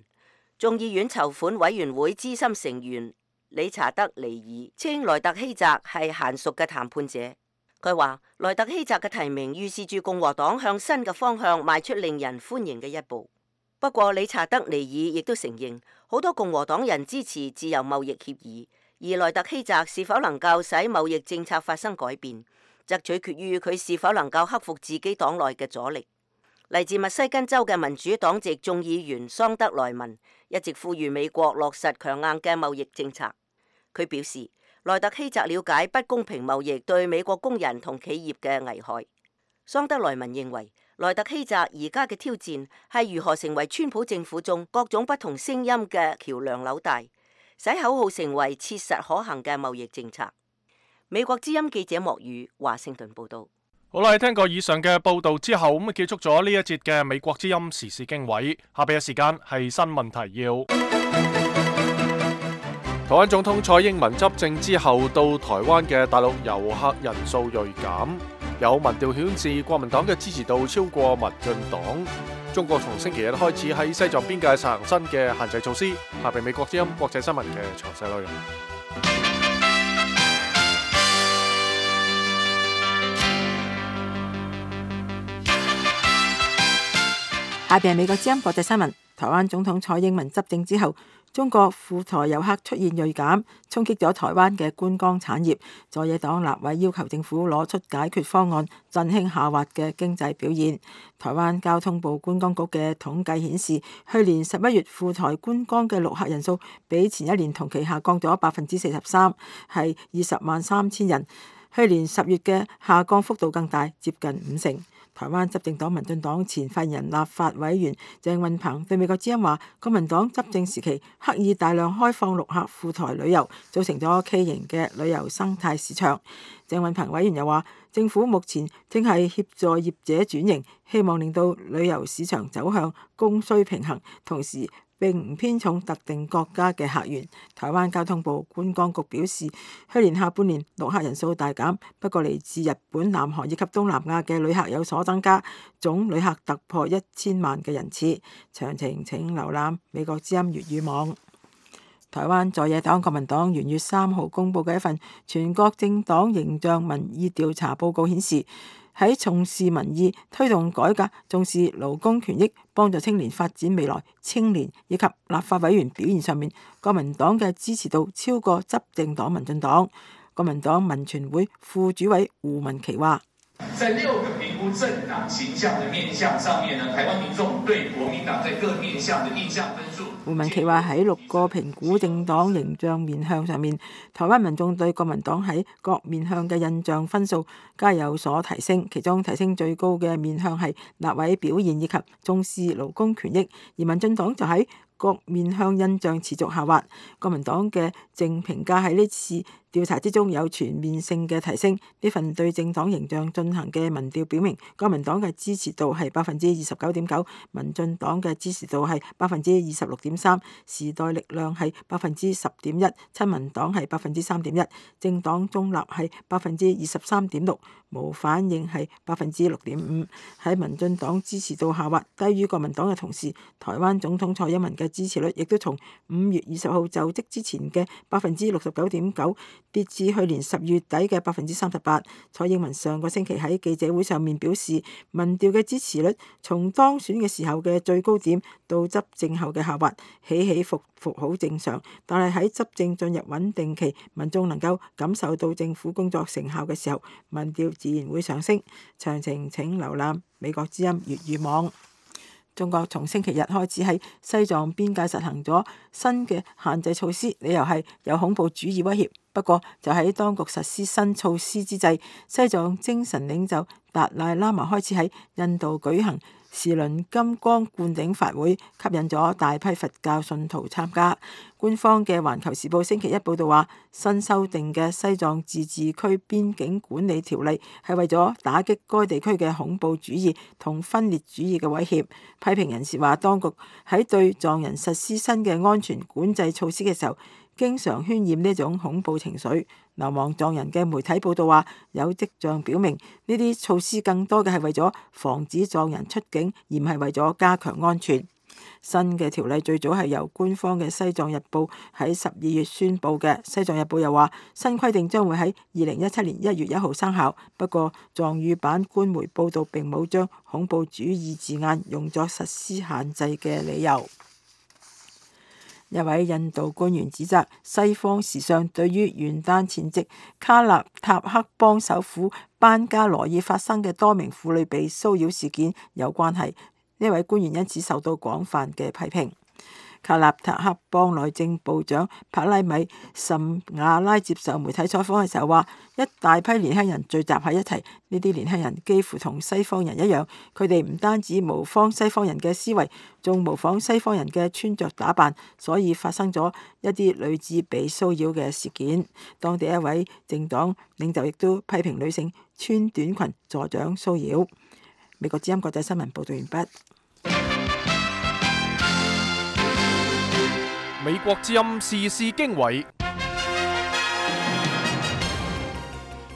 D: 眾議院籌款委員會資深成員理查德尼爾稱萊特希澤係嫻熟嘅談判者。佢話萊特希澤嘅提名預示住共和黨向新嘅方向邁出令人歡迎嘅一步。不過理查德尼爾亦都承認，好多共和黨人支持自由貿易協議，而萊特希澤是否能夠使貿易政策發生改變，則取決於佢是否能夠克服自己黨內嘅阻力。嚟自密西根州嘅民主黨籍眾議員桑德萊文一直呼籲美國落實強硬嘅貿易政策。佢表示，萊特希澤了解不公平貿易對美國工人同企業嘅危害。桑德萊文認為，萊特希澤而家嘅挑戰係如何成為川普政府中各種不同聲音嘅橋樑紐帶，使口號成為切實可行嘅貿易政策。美國之音記者莫宇華盛頓報道。
A: 好啦，聽過以上嘅報道之後，咁啊結束咗呢一節嘅美國之音時事經緯。下邊嘅時間係新聞提要。台灣總統蔡英文執政之後，到台灣嘅大陸遊客人數銳減，有民調顯示國民黨嘅支持度超過民進黨。中國從星期日開始喺西藏邊界實行新嘅限制措施。下邊美國之音國際新聞嘅詳細內容。
C: 下邊係美國之音國際新聞。台灣總統蔡英文執政之後，中國赴台遊客出現銳減，衝擊咗台灣嘅觀光產業。在野黨立委要求政府攞出解決方案，振興下滑嘅經濟表現。台灣交通部觀光局嘅統計顯示，去年十一月赴台觀光嘅陸客人數比前一年同期下降咗百分之四十三，係二十萬三千人。去年十月嘅下降幅度更大，接近五成。台灣執政黨民進黨前發言人立法委員鄭運鵬對美國之音話，國民黨執政時期刻意大量開放陸客赴台旅遊，造成咗畸形嘅旅遊生態市場。鄭運鵬委員又話，政府目前正係協助業者轉型，希望令到旅遊市場走向供需平衡，同時並唔偏重特定國家嘅客源。台灣交通部觀光局表示，去年下半年陸客人數大減，不過嚟自日本、南韓以及東南亞嘅旅客有所增加，總旅客突破一千萬嘅人次。詳情請瀏覽美國之音粵語網。台灣在野黨國民黨元月三號公佈嘅一份全國政黨形象民意調查報告顯示，喺重視民意、推動改革、重視勞工權益、幫助青年發展未來、青年以及立法委員表現上面，國民黨嘅支持度超過執政黨民進黨。國民黨民權會副主委胡文琪話：
I: 在六個評估政黨形象的面向上面呢，台灣民眾對國民黨在各面向的印象分數。
C: 胡文琪話喺六個評估政黨形象面向上面，台灣民眾對國民黨喺各面向嘅印象分數皆有所提升，其中提升最高嘅面向係立委表現以及重視勞工權益，而民進黨就喺各面向印象持續下滑。國民黨嘅正評價喺呢次調查之中有全面性嘅提升。呢份對政黨形象進行嘅民調表明，國民黨嘅支持度係百分之二十九點九，民進黨嘅支持度係百分之二十六點三，時代力量係百分之十點一，親民黨係百分之三點一，政黨中立係百分之二十三點六，無反應係百分之六點五。喺民進黨支持度下滑低於國民黨嘅同時，台灣總統蔡英文嘅支持率亦都從五月二十號就職之前嘅百分之六十九點九跌至去年十月底嘅百分之三十八。蔡英文上個星期喺記者會上面表示，民調嘅支持率從當選嘅時候嘅最高點到執政後嘅下滑，起起伏伏好正常。但係喺執政進入穩定期，民眾能夠感受到政府工作成效嘅時候，民調自然會上升。詳情請瀏覽美國之音粵語網。中國從星期日開始喺西藏邊界實行咗新嘅限制措施，理由係有恐怖主義威脅。不過就喺當局實施新措施之際，西藏精神領袖達賴喇嘛開始喺印度舉行時輪金剛灌頂法會，吸引咗大批佛教信徒參加。官方嘅《環球時報》星期一報道話，新修訂嘅西藏自治區邊境管理條例係為咗打擊該地區嘅恐怖主義同分裂主義嘅威脅。批評人士話，當局喺對藏人實施新嘅安全管制措施嘅時候，經常渲染呢種恐怖情緒。流亡藏人嘅媒體報道話，有跡象表明呢啲措施更多嘅係為咗防止藏人出境，而唔係為咗加強安全。新嘅條例最早係由官方嘅《西藏日報》喺十二月宣佈嘅。《西藏日報》又話，新規定將會喺二零一七年一月一號生效。不過，藏語版官媒報道並冇將恐怖主義字眼用作實施限制嘅理由。一位印度官員指責西方時尚對於元旦前夕卡納塔克邦首府班加羅爾發生嘅多名婦女被騷擾事件有關係。呢位官員因此受到廣泛嘅批評。卡納塔克邦內政部長帕拉米什瓦拉接受媒體採訪嘅時候話，一大批年輕人聚集喺一齊，呢啲年輕人幾乎同西方人一樣，佢哋唔單止模仿西方人嘅思維，仲模仿西方人嘅穿着打扮，所以發生咗一啲類似被騷擾嘅事件。當地一位政黨領袖亦都批評女性穿短裙助長騷擾。美國之音國際新聞報道完畢。
A: 美國之音時事經緯，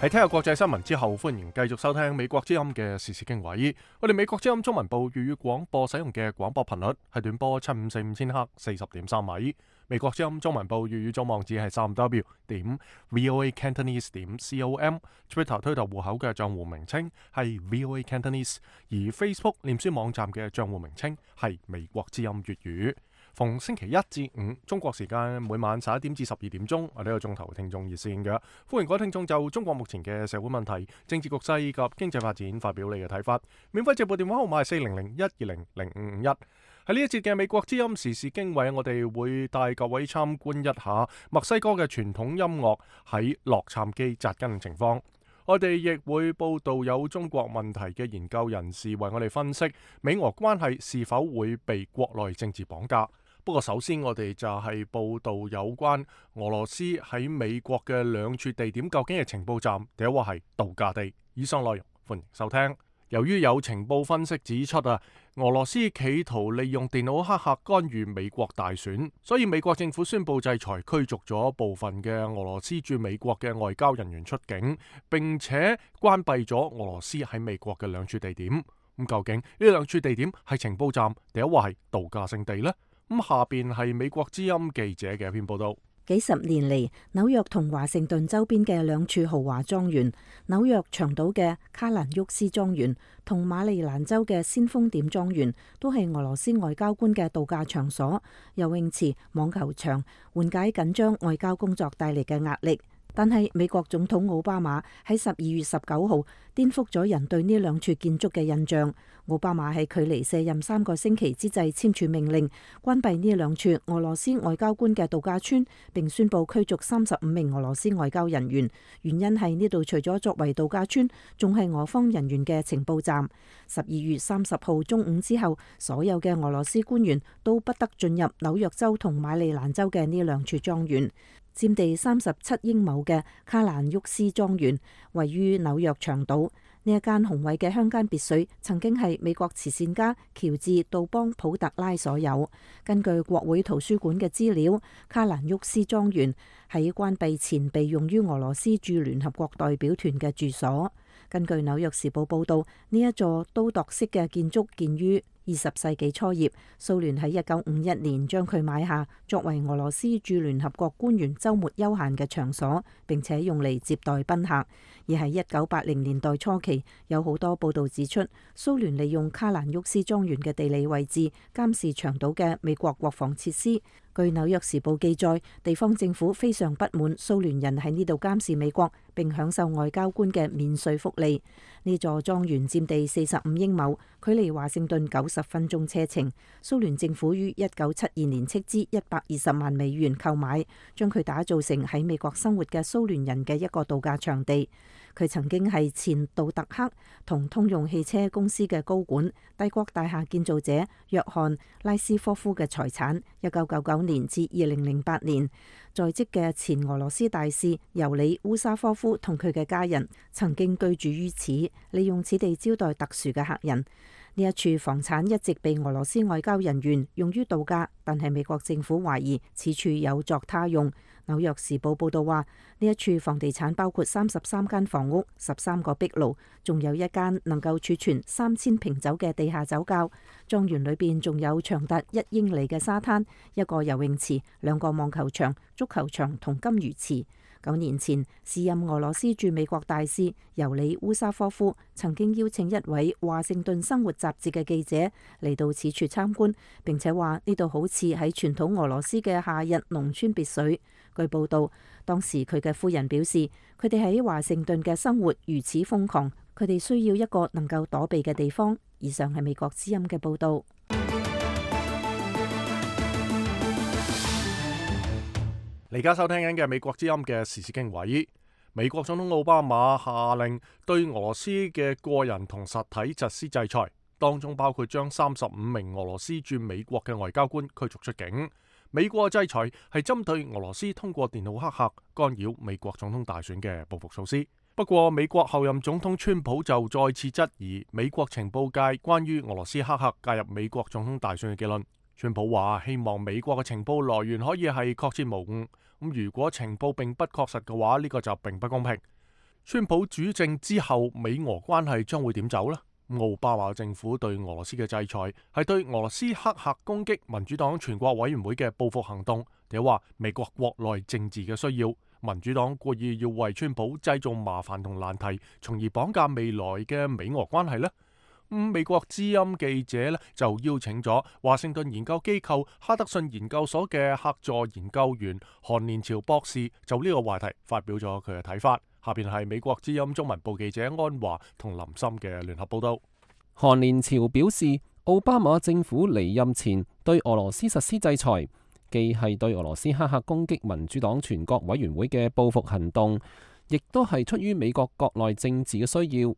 A: 喺聽下國際新聞之後，歡迎繼續收聽美國之音嘅時事經緯。我哋美國之音中文部粵語廣播使用嘅廣播頻率係短波七五四五千赫四十點三米。美國之音中文部粵語總網址係三 w 點 voa cantonese 點 com。Twitter 推特戶口嘅賬戶名稱係 voa cantonese， 而 Facebook 臉書網站嘅賬戶名稱係美國之音粵語。逢星期一至五中國時間每晚十一點至十二點鐘，我哋有個鐘頭聽眾熱線嘅，歡迎各位聽眾就中國目前嘅社會問題、政治局勢以及經濟發展發表你嘅睇法。免費直播電話號碼係四零零一二零零五五一。喺呢一節嘅美國之音時事經緯，我哋會帶各位參觀一下墨西哥嘅傳統音樂喺洛杉磯扎根嘅情況。我哋亦會報道有中國問題嘅研究人士為我哋分析美俄關係是否會被國內政治綁架。不過首先我哋就係報道有關俄羅斯喺美國嘅兩處地點究竟係情報站，定係話係度假地。以上內容歡迎收聽。由於有情報分析指出啊，俄羅斯企圖利用電腦黑客干預美國大選，所以美國政府宣布制裁驅逐咗部分嘅俄羅斯駐美國嘅外交人員出境，並且關閉咗俄羅斯喺美國嘅兩處地點。咁究竟呢兩處地點係情報站，定係話係度假勝地呢？咁下邊係美國之音記者嘅一篇報道。
E: 幾十年嚟，紐約同華盛頓周邊嘅兩處豪華莊園，紐約長島嘅卡蘭沃斯莊園同馬里蘭州嘅先鋒點莊園，都係俄羅斯外交官嘅度假場所、游泳池、網球場，緩解緊張外交工作帶嚟嘅壓力。但係美國總統奧巴馬喺十二月十九號顛覆咗人對呢兩處建築嘅印象。奧巴馬喺距離卸任三個星期之際簽署命令，關閉呢兩處俄羅斯外交官嘅度假村，並宣布驅逐三十五名俄羅斯外交人員。原因係呢度除咗作為度假村，仲係俄方人員嘅情報站。十二月三十號中午之後，所有嘅俄羅斯官員都不得進入紐約州同馬里蘭州嘅呢兩處莊園。佔地三十七英畝嘅卡蘭沃斯莊園位於紐約長島。呢一間宏偉嘅鄉間別墅曾經係美國慈善家喬治杜邦普特拉所有。根據國會圖書館嘅資料，卡蘭沃斯莊園喺關閉前被用於俄羅斯駐聯合國代表團嘅住所。根據紐約時報報道，呢一座都鐸式嘅建築建於二十世紀初葉，蘇聯喺一九五一年將佢買下，作為俄羅斯駐聯合國官員週末休閒嘅場所，並且用嚟接待賓客。而喺一九八零年代初期，有好多報道指出，蘇聯利用卡蘭沃斯莊園嘅地理位置監視長島嘅美國國防設施。據紐約時報記載，地方政府非常不滿蘇聯人喺呢度監視美國，並享受外交官嘅免稅福利。呢座莊園佔地四十五英畝，距離華盛頓九十分鐘車程。蘇聯政府於一九七二年斥資一百二十萬美元購買，將佢打造成喺美國生活嘅蘇聯人嘅一個度假場地。佢曾經係前杜特克同通用汽車公司嘅高管，帝國大廈建造者約翰拉斯科夫嘅財產。一九九九年至二零零八年，在職嘅前俄羅斯大使尤里烏沙科夫同佢嘅家人曾經居住於此，利用此地招待特殊嘅客人。呢一處房產一直被俄羅斯外交人員用於度假，但係美國政府懷疑此處有作他用。紐約時報報道話，呢一處房地產包括三十三間房屋、十三個壁爐，仲有一間能夠儲存三千瓶酒嘅地下酒窖。莊園裏邊仲有長達一英里嘅沙灘、一個游泳池、兩個網球場、足球場同金魚池。九年前，時任俄羅斯駐美國大使尤里烏沙科夫曾經邀請一位華盛頓生活雜誌嘅記者嚟到此處參觀，並且話呢度好似喺傳統俄羅斯嘅夏日農村別墅。據報道，當時佢嘅夫人表示，佢哋喺華盛頓嘅生活如此瘋狂，佢哋需要一個能夠躲避嘅地方。以上係美國之音嘅報導。
A: 你而家收聽緊嘅美國之音嘅時事經緯，美國總統奧巴馬下令對俄羅斯嘅個人同實體實施制裁，當中包括將三十五名俄羅斯駐美國嘅外交官驅逐出境。美國嘅制裁係針對俄羅斯通過電腦黑客干擾美國總統大選嘅報復措施。不過，美國後任總統川普就再次質疑美國情報界關於俄羅斯黑客介入美國總統大選嘅結論。川普話希望美國嘅情報來源可以係確切無誤，咁如果情報並不確實嘅話，呢個就並不公平。川普主政之後，美俄關係將會點走呢？奧巴馬政府對俄羅斯嘅制裁係對俄羅斯黑客攻擊民主黨全國委員會嘅報復行動，定係話美國國內政治嘅需要？民主黨故意要為川普製造麻煩同難題，從而綁架未來嘅美俄關係呢？嗯、美國之音記者呢就邀請咗華盛頓研究機構哈德遜研究所嘅客座研究員韓連朝博士，就呢個話題發表咗佢嘅睇法。下邊係美國之音中文部記者安華同林森嘅聯合報道。
J: 韓連朝表示，奧巴馬政府離任前對俄羅斯實施制裁，既係對俄羅斯黑客攻擊民主黨全國委員會嘅報復行動，亦都係出於美國國內政治嘅需要，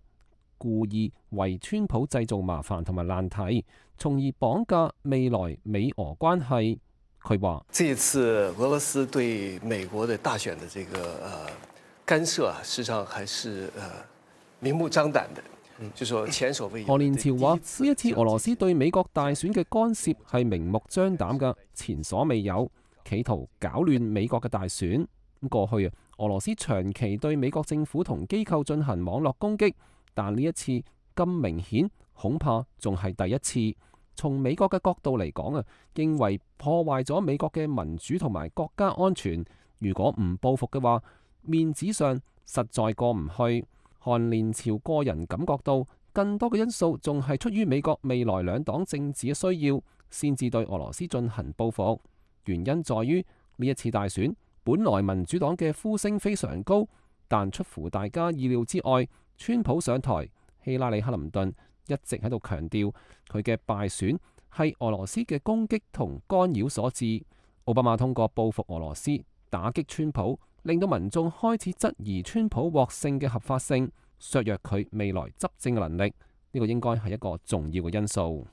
J: 故意為川普製造麻煩同埋難題，從而綁架未來美俄關係。佢話：
K: 這次俄羅斯對美國的大選的這個呃干涉啊，實際上還是呃明目張膽的。就說前所未有。
J: 韓連朝話：呢一次俄羅斯對美國大選嘅干涉係明目張膽嘅，前所未有，企圖搞亂美國嘅大選。咁過去啊，俄羅斯長期對美國政府同機構進行網絡攻擊，但呢一次咁明顯，恐怕仲係第一次。從美國嘅角度嚟講啊，認為破壞咗美國嘅民主同埋國家安全，如果唔報復嘅話，面子上實在過唔去。韓連朝個人感覺到更多嘅因素仲係出於美國未來兩黨政治嘅需要，先至對俄羅斯進行報復。原因在於呢一次大選本來民主黨嘅呼聲非常高，但出乎大家意料之外，川普上台，希拉里克林頓一直喺度強調佢嘅敗選係俄羅斯嘅攻擊同干擾所致。奧巴馬通過報復俄羅斯打擊川普，令到民眾開始質疑川普獲勝嘅合法性，削弱佢未來執政嘅能力。呢個應該係一個重要嘅因素。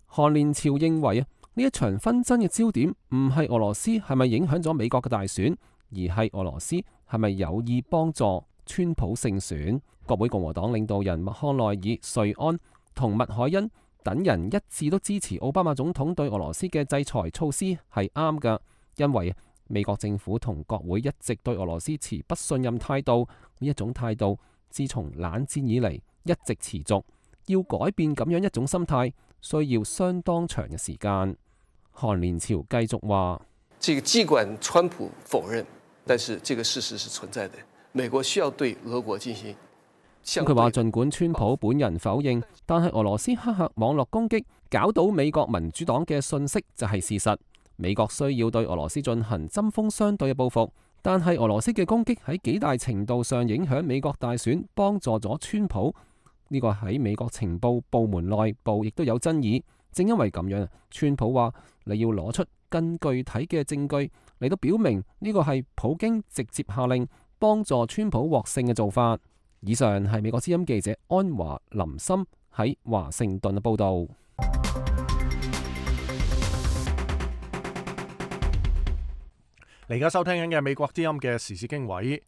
J: 韓連朝認為啊，呢一場紛爭嘅焦點唔係俄羅斯係咪影響咗美國嘅大選，而係俄羅斯係咪有意幫助川普勝選。國會共和黨領導人麥康奈爾、瑞安同麥凱恩等人一致都支持奧巴馬總統對俄羅斯嘅制裁措施係啱㗎，因為美國政府同國會一直對俄羅斯持不信任態度，呢一種態度自從冷戰以嚟一直持續，要改變咁樣一種心態，需要相當長嘅時間。韓連朝繼續話：
K: 這個儘管川普否認，但是這個事實是存在的。美國需要對俄國進行。
J: 佢話儘管川普本人否認，但係俄羅斯黑客網絡攻擊搞到美國民主黨嘅信息就係事實。美國需要對俄羅斯進行針鋒相對嘅報復，但係俄羅斯嘅攻擊喺幾大程度上影響美國大選，幫助咗川普。呢個喺美國情報部門內部亦都有爭議。正因為咁樣，川普話你要攞出更具體嘅證據嚟到表明呢個係普京直接下令幫助川普獲勝嘅做法。以上係美國之音記者安華林森喺華盛頓嘅報導。
A: 你而家收聽緊嘅美國之音嘅時事經緯，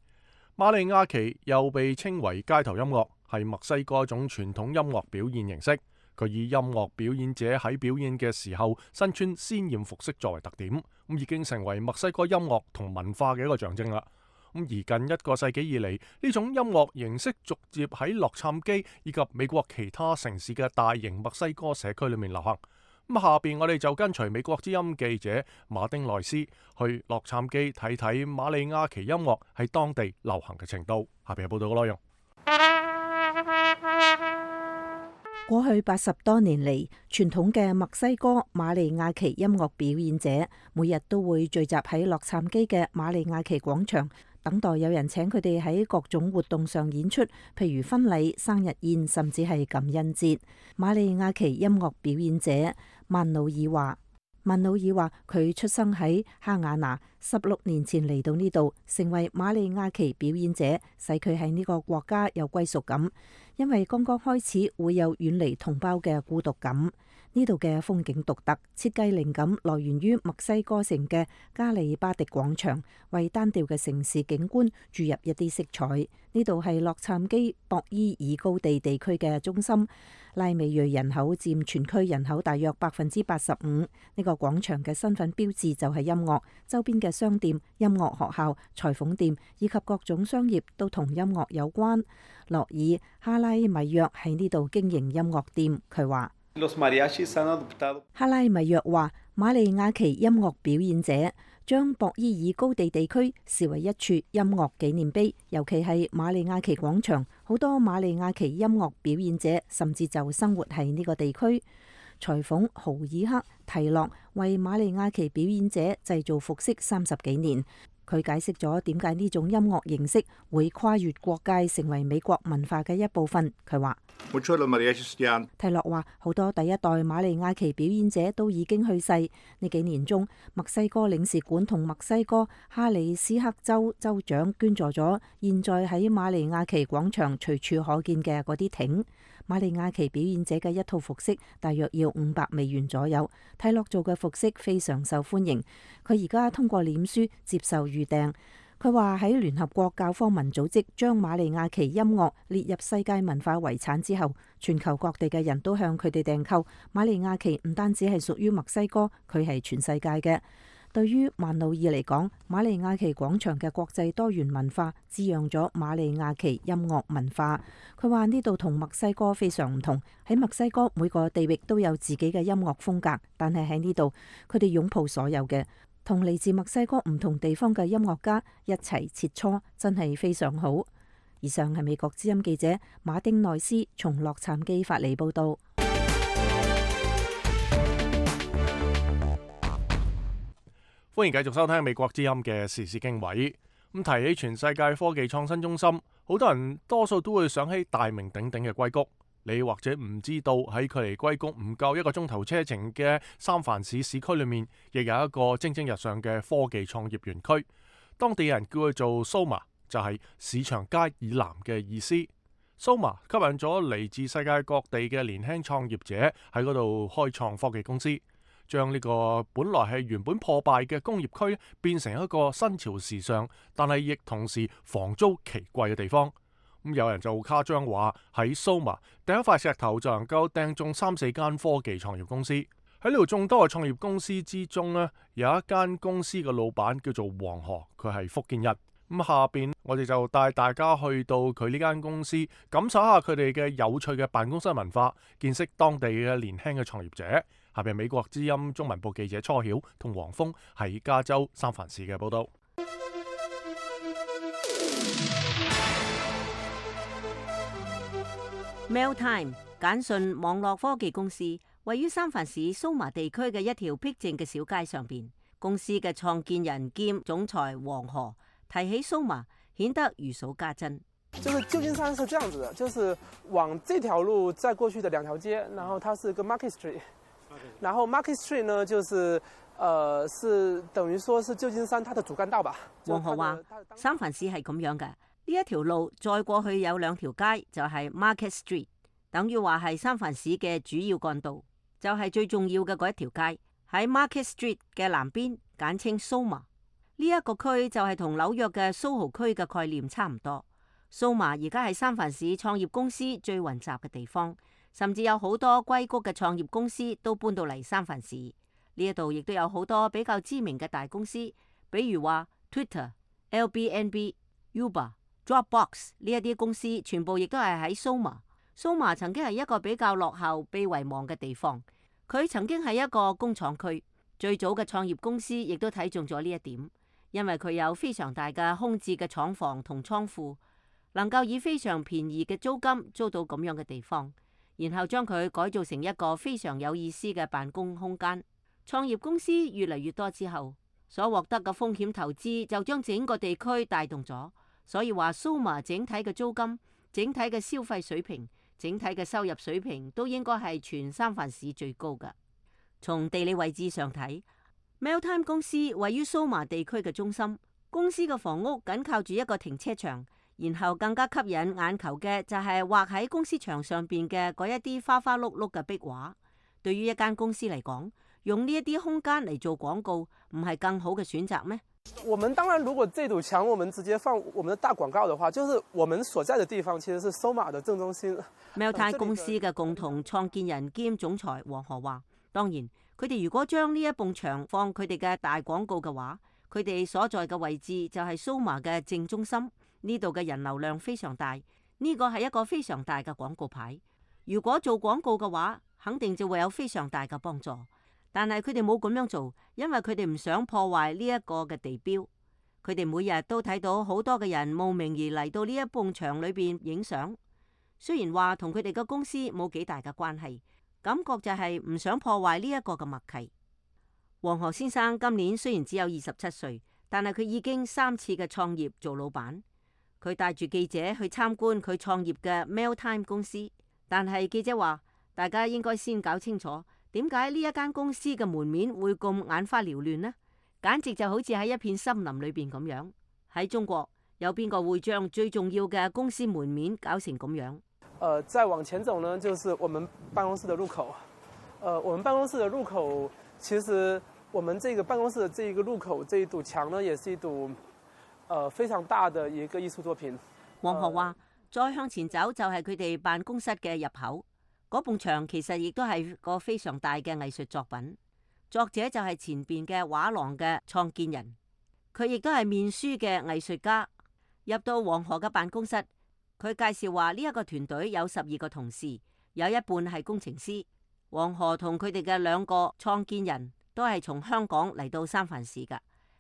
A: 馬里亞奇又被稱為街頭音樂，係墨西哥一種傳統音樂表現形式。佢以音樂表演者喺表演嘅時候身穿鮮豔服飾作為特點，咁已經成為墨西哥音樂同文化嘅一個象徵啦。咁而近一個世紀以嚟，呢種音樂形式逐漸喺洛杉磯以及美國其他城市嘅大型墨西哥社區裏面流行。咁下邊我哋就跟隨美國之音記者馬丁內斯去洛杉磯睇睇馬里亞奇音樂喺當地流行嘅程度。下邊係報道嘅內容。
E: 過去八十多年嚟，傳統嘅墨西哥馬里亞奇音樂表演者每日都會聚集喺洛杉磯嘅馬里亞奇廣場，等待有人請佢哋喺各種活動上演出，譬如婚禮、生日宴，甚至係感恩節。馬里亞奇音樂表演者曼努爾話：曼努爾話佢出生喺哈瓦那，十六年前嚟到呢度，成為馬里亞奇表演者，使佢喺呢個國家有歸屬感，因為剛剛開始會有遠離同胞嘅孤獨感。呢度嘅風景獨特，設計靈感來源於墨西哥城嘅加里巴迪廣場，為單調嘅城市景觀注入一啲色彩。呢度係洛杉磯博伊爾高地地區嘅中心，拉美裔人口佔全區人口大約百分之八十五。呢個廣場嘅身份標誌就係音樂，周邊嘅商店、音樂學校、裁縫店以及各種商業都同音樂有關。洛爾哈拉米約喺呢度經營音樂店，佢話。哈拉米約話：馬里亞奇音樂表演者將博伊爾高地地區視為一處音樂紀念碑，尤其係馬里亞奇廣場，好多馬里亞奇音樂表演者甚至就生活喺呢個地區。裁縫豪爾克提洛為馬里亞奇表演者製造服飾三十幾年。佢解釋咗點解呢種音樂形式會跨越國界，成為美國文化嘅一部分。佢話：提洛話好多第一代馬里亞奇表演者都已經去世。呢幾年中，墨西哥領事館同墨西哥哈里斯克州州長捐助咗現在喺馬里亞奇廣場隨處可見嘅嗰啲艇。馬里亞奇表演者嘅一套服飾大約要五百美元左右。提洛做嘅服飾非常受歡迎。佢而家通過臉書接受預訂。佢話喺聯合國教科文組織將馬里亞奇音樂列入世界文化遺產之後，全球各地嘅人都向佢哋訂購。馬里亞奇唔單止係屬於墨西哥，佢係全世界嘅。對於曼努爾嚟講，馬里亞奇廣場嘅國際多元文化滋養咗馬里亞奇音樂文化。佢話呢度同墨西哥非常唔同，喺墨西哥每個地域都有自己嘅音樂風格，但係喺呢度佢哋擁抱所有嘅，同嚟自墨西哥唔同地方嘅音樂家一齊切磋，真係非常好。以上係美國之音記者馬丁內斯從洛杉磯發嚟報道。
A: 歡迎繼續收聽美國之音嘅時事經緯。咁提起全世界科技創新中心，好多人多數都會想起大名鼎鼎嘅硅谷。你或者唔知道喺距離硅谷唔夠一個鐘頭車程嘅三藩市市區裏面，亦有一個蒸蒸日上嘅科技創業園區。當地人叫佢做 Soma， 就係市場街以南嘅意思。Soma 吸引咗嚟自世界各地嘅年輕創業者喺嗰度開創科技公司，將呢個本來係原本破敗嘅工業區變成一個新潮時尚，但係亦同時房租奇貴嘅地方。咁有人就誇張話喺 Soma 掟一塊石頭就能夠掟中三四間科技創業公司。喺呢度眾多嘅創業公司之中呢，有一間公司嘅老闆叫做黃河，佢係福建人。咁下邊我哋就帶大家去到佢呢間公司，感受下佢哋嘅有趣嘅辦公室文化，見識當地嘅年輕嘅創業者。下邊美國之音中文部記者初曉同黃峰喺加州三藩市嘅報道。
D: Mailtime 簡訊網絡科技公司位於三藩市蘇麻地區嘅一條僻靜嘅小街上邊。公司嘅創建人兼總裁黃河提起蘇麻，顯得如數家珍。
L: 就是舊金山是這樣子的，就是往這條路再過去的兩條街，然後它是個 Market Street， 然後 Market Street 呢，就是呃是等於說是舊金山它的主幹道吧。
D: 黃河話三藩市係咁樣嘅。呢一條路再過去有兩條街，就係 Market Street， 等於話係三藩市嘅主要幹道，就係最重要嘅嗰一條街。喺 Market Street 嘅南邊，簡稱 Soma。呢一個區就係同紐約嘅蘇豪區嘅概念差唔多。Soma 而家係三藩市創業公司最雲集嘅地方，甚至有好多硅谷嘅創業公司都搬到嚟三藩市。呢一度亦都有好多比較知名嘅大公司，比如話 Twitter、L B N B、Uber、Dropbox 呢一啲公司，全部亦都係喺 Soma。Soma 曾經係一個比較落後、被遺忘嘅地方。佢曾經係一個工廠區，最早嘅創業公司亦都睇中咗呢一點，因為佢有非常大嘅空置嘅廠房同倉庫，能夠以非常便宜嘅租金租到咁樣嘅地方，然後將佢改造成一個非常有意思嘅辦公空間。創業公司越嚟越多之後，所獲得嘅風險投資就將整個地區帶動咗，所以話 Soma 整體嘅租金、整體嘅消費水平、整體嘅收入水平都應該係全三藩市最高嘅。從地理位置上睇， Meltime 公司位於 Soma 地區嘅中心，公司嘅房屋緊靠住一個停車場，然後更加吸引眼球嘅就係畫喺公司牆上邊嘅嗰一啲花花碌碌嘅壁畫。對於一間公司嚟講，用呢一啲空間嚟做廣告，唔係更好嘅選擇咩？
L: 我們當然，如果這堵牆我們直接放我們的大廣告的話，就是我們所在的地方其實是 Soma 的正中心。
D: Meltime 公司嘅共同創建人兼總裁黃河話，當然佢哋如果將呢一埲牆放佢哋嘅大廣告嘅話，佢哋所在嘅位置就係 Soma 嘅正中心，呢度嘅人流量非常大，呢個係一個非常大嘅廣告牌。如果做廣告嘅話，肯定就會有非常大嘅幫助。但係佢哋冇咁樣做，因為佢哋唔想破壞呢一個嘅地標。佢哋每日都睇到好多嘅人慕名而嚟到呢一埲牆裏邊影相。雖然話同佢哋嘅公司冇幾大嘅關係，感覺就係唔想破壞呢一個嘅默契。黃河先生今年雖然只有二十七歲，但係佢已經三次嘅創業做老闆。佢帶住記者去參觀佢創業嘅 Meltime 公司，但係記者話，大家應該先搞清楚。點解呢一間公司嘅門面會咁眼花繚亂呢？簡直就好似喺一片森林裏邊咁樣。喺中國有邊個會將最重要嘅公司門面搞成咁樣？
L: 呃，再往前走呢，就是我們辦公室的入口。呃，我們辦公室的入口，其實我們這個辦公室的這一個入口，這一堵牆呢，也是一堵，呃，非常大的一個藝術作品。
D: 黃河話：再向前走就係佢哋辦公室嘅入口。嗰埲牆其實亦都係個非常大嘅藝術作品，作者就係前邊嘅畫廊嘅創建人，佢亦都係面書嘅藝術家。入到黃河嘅辦公室，佢介紹話呢一個團隊有十二個同事，有一半係工程師。黃河同佢哋嘅兩個創建人都係從香港嚟到三藩市㗎，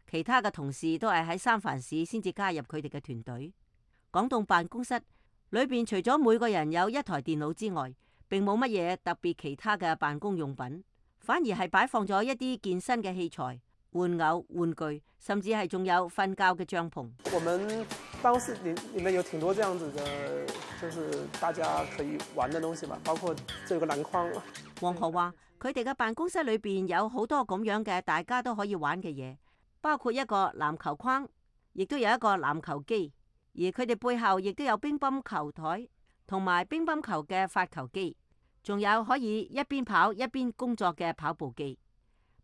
D: 其他嘅同事都係喺三藩市先至加入佢哋嘅團隊。講到辦公室裏邊，除咗每個人有一台電腦之外，並冇乜嘢特別其他嘅辦公用品，反而係擺放咗一啲健身嘅器材、玩偶、玩具，甚至係仲有瞓覺嘅帳篷。
L: 我們辦公室裏裏面有挺多這樣子的，就是大家可以玩的東西嘛，包括這個籃筐。
D: 黃河話：佢哋嘅辦公室裏邊有好多咁樣嘅大家都可以玩嘅嘢，包括一個籃球框，亦都有一個籃球機，而佢哋背後亦都有乒乓球台同埋乒乓球嘅發球機。仲有可以一邊跑一邊工作嘅跑步機。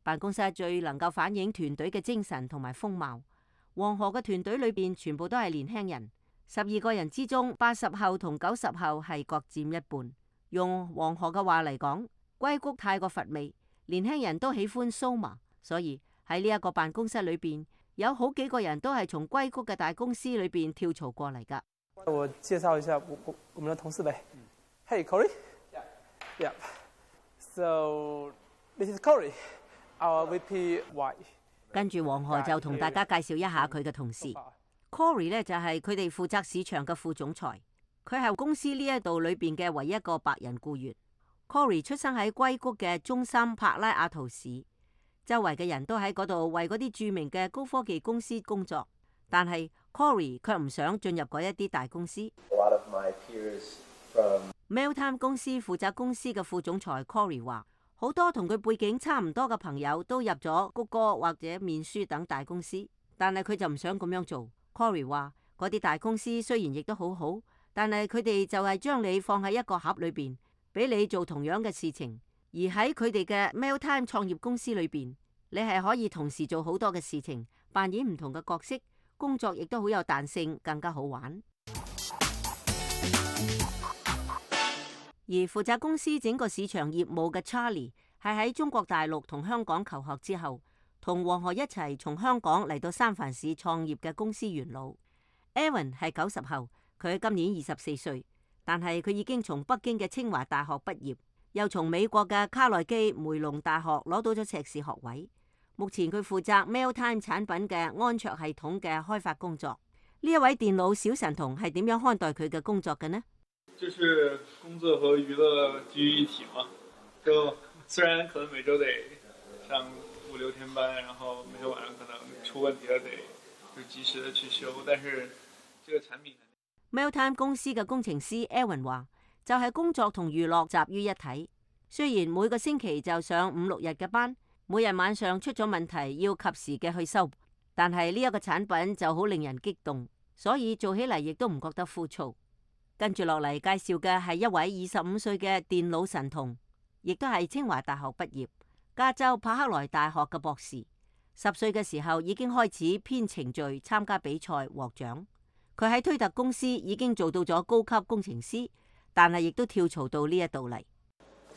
D: 辦公室最能夠反映團隊嘅精神同埋風貌。黃河嘅團隊裏邊全部都係年輕人，十二個人之中，八十後同九十後係各佔一半。用黃河嘅話嚟講，硅谷太過乏味，年輕人都喜歡 Soma，所以喺呢一個辦公室裏邊，有好幾個人都係從硅谷嘅大公司裏邊跳槽過嚟噶。
L: 我介紹一下我我我們的同事唄。Hey Corey。Yeah. So this is Corey, our V P Y.
D: 跟住黃河就同大家介紹一下佢嘅同事。Corey 呢就係佢哋負責市場嘅副總裁，佢係公司呢一度裏邊嘅唯一一個白人僱員。Corey 出生喺硅谷嘅中心帕拉亞圖市，周圍嘅人都喺嗰度為嗰啲著名嘅高科技公司工作，但係 Corey 卻唔想進入嗰一啲大公司。
M: A lot of my peers from
D: Meltime 公司負責公司嘅副總裁 Corey 話，好多同佢背景差唔多嘅朋友都入咗谷歌或者面書等大公司，但係佢就唔想咁樣做。Corey 話嗰啲大公司雖然亦都好好，但係佢哋就係將你放喺一個盒裏邊，俾你做同樣嘅事情。而喺佢哋嘅 Mailtime 創業公司裏邊，你係可以同時做好多嘅事情，扮演唔同嘅角色，工作亦都好有彈性，更加好玩。而負責公司整個市場業務嘅 Charlie 係喺中國大陸同香港求學之後，同黃河一齊從香港嚟到三藩市創業嘅公司元老。Evan 係九十後，佢今年二十四歲，但係佢已經從北京嘅清華大學畢業，又從美國嘅卡內基梅隆大學攞到咗碩士學位。目前佢負責 Mailtime 產品嘅安卓系統嘅開發工作。呢一位電腦小神童係點樣看待佢嘅工作嘅呢？
N: 就是工作和娛樂居於一體嘛，就雖然可能每周得上五六天班，然後每天晚上可能出問題了得就及時的去修，但是這個產品
D: Mailtime 公司嘅工程師 Aaron 話，就係、是、工作同娛樂集於一體。雖然每個星期就上五六日嘅班，每日晚上出咗問題要及時嘅去修，但係呢一個產品就好令人激動，所以做起嚟亦都唔覺得枯燥。跟住落嚟介紹嘅係一位二十五歲嘅電腦神童，亦都係清華大學畢業、加州柏克萊大學嘅博士。十歲嘅時候已經開始編程序、參加比賽獲獎。佢喺推特公司已經做到咗高級工程師，但係亦都跳槽到呢一度嚟。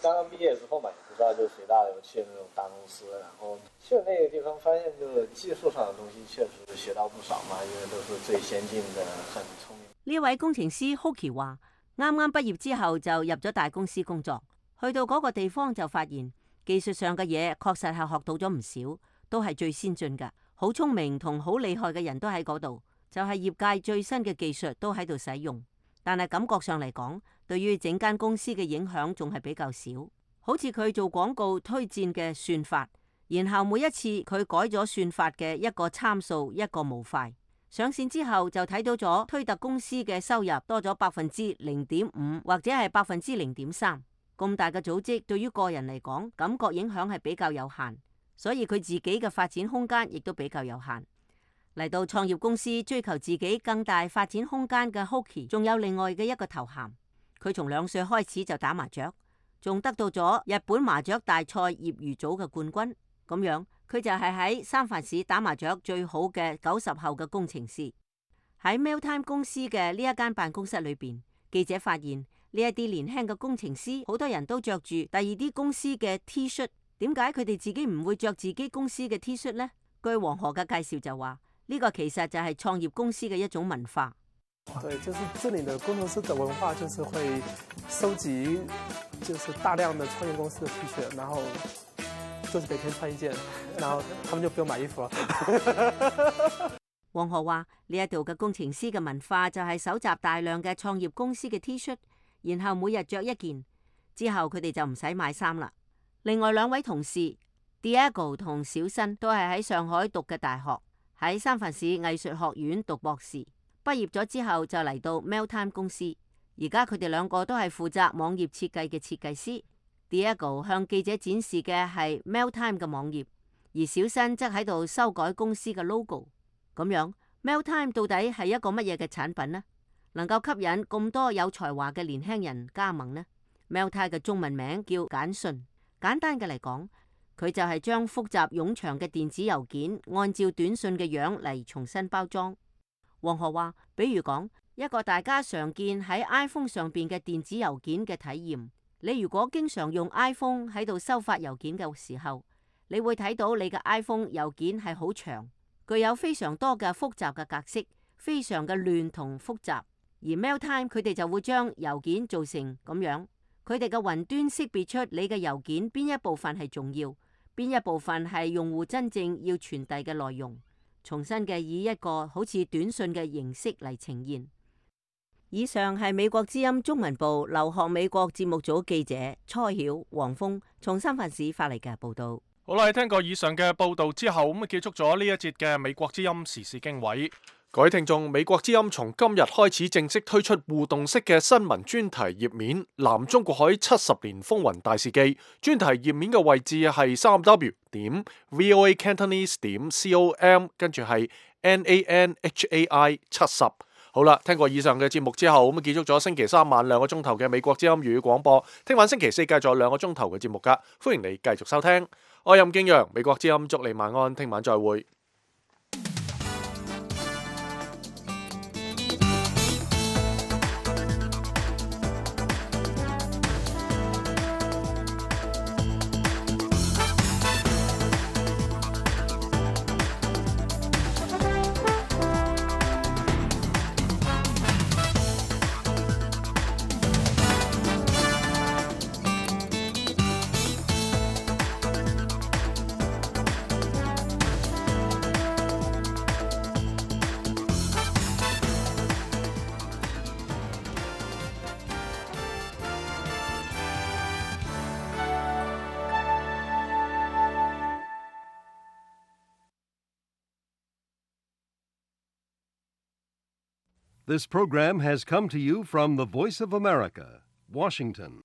M: 剛剛畢業之後嘛，你不知道就隨大流去那種大公司，然後去那個地方發現，就技術上的東西確實學到不少嘛，因為都是最先進的，很聰明。
D: 呢位工程師 Hoki 話，啱啱畢業之後就入咗大公司工作，去到嗰個地方就發現技術上嘅嘢確實係學到咗唔少，都係最先進嘅，好聰明同好厲害嘅人都喺嗰度，就係業界最新嘅技術都喺度使用。但係感覺上嚟講，對於整間公司嘅影響仲係比較少。好似佢做廣告推薦嘅算法，然後每一次佢改咗算法嘅一個參數一個模塊，上線之後就睇到咗推特公司嘅收入多咗百分之零點五或者係百分之零點三。咁大嘅組織對於個人嚟講，感覺影響係比較有限，所以佢自己嘅發展空間亦都比較有限。嚟到創業公司追求自己更大發展空間嘅 Hoki， 仲有另外嘅一個頭銜。佢從兩歲開始就打麻雀，仲得到咗日本麻雀大賽業餘組嘅冠軍。咁樣佢就係喺三藩市打麻雀最好嘅九十後嘅工程師。喺 Mailtime 公司嘅呢一間辦公室裏邊，記者發現呢一啲年輕嘅工程師，好多人都着住第二啲公司嘅 T 恤。點解佢哋自己唔會着自己公司嘅 T 恤呢？據黃河嘅介紹就話，呢個其實就係創業公司嘅一種文化。
L: 對，就是這裡的工程師的文化，就是會收集，就是大量的創業公司的 T 恤，然後就是每天穿一件，然後他們就不用買衣服了。
D: 黃河話：呢一度嘅工程師嘅文化就係搜集大量嘅創業公司嘅 T 恤，然後每日着一件，之後佢哋就唔使買衫啦。另外兩位同事 Diego 同小新都係喺上海讀嘅大學，喺三藩市藝術學院讀博士，畢業咗之後就嚟到 Mailtime 公司。而家佢哋兩個都係負責網頁設計嘅設計師。Diego 向記者展示嘅係 Mailtime 嘅網頁，而小新則喺度修改公司嘅 logo。咁樣 Mailtime 到底係一個乜嘢嘅產品呢？能夠吸引咁多有才華嘅年輕人加盟呢？ Mailtime 嘅中文名叫簡訊。簡單嘅嚟講，佢就係將複雜冗長嘅電子郵件按照短信嘅樣嚟重新包裝。黃河話，比如講一個大家常見喺 iPhone 上邊嘅電子郵件嘅體驗，你如果經常用 iPhone 喺度收發郵件嘅時候，你會睇到你嘅 iPhone 郵件係好長，具有非常多嘅複雜嘅格式，非常嘅亂同複雜。而 Mailtime 佢哋就會將郵件做成咁樣，佢哋嘅雲端識別出你嘅郵件邊一部分係重要，邊一部分係用戶真正要傳遞嘅內容，重新嘅以一個好似短信嘅形式嚟呈現。以上係美國之音中文部留學美國節目組記者蔡曉、黃峰從三藩市發嚟嘅報道。
A: 好啦，聽過以上嘅報道之後，咁啊結束咗呢一節嘅美國之音時事經緯。各位聽眾，美國之音從今日開始正式推出互動式嘅新聞專題頁面，南中國海七十年風雲大事記。專題頁面嘅位置係三 w 點 voa cantonese 點 com， 跟住係 n a n h a i 七十。好啦，聽過以上嘅節目之後，咁結束咗星期三晚兩個鐘頭嘅美國之音粵語廣播。聽晚星期四繼續有兩個鐘頭嘅節目噶，歡迎你繼續收聽。我係任敬陽，美國之音，祝你晚安，聽晚再會。
O: This program has come to you from the Voice of America, Washington.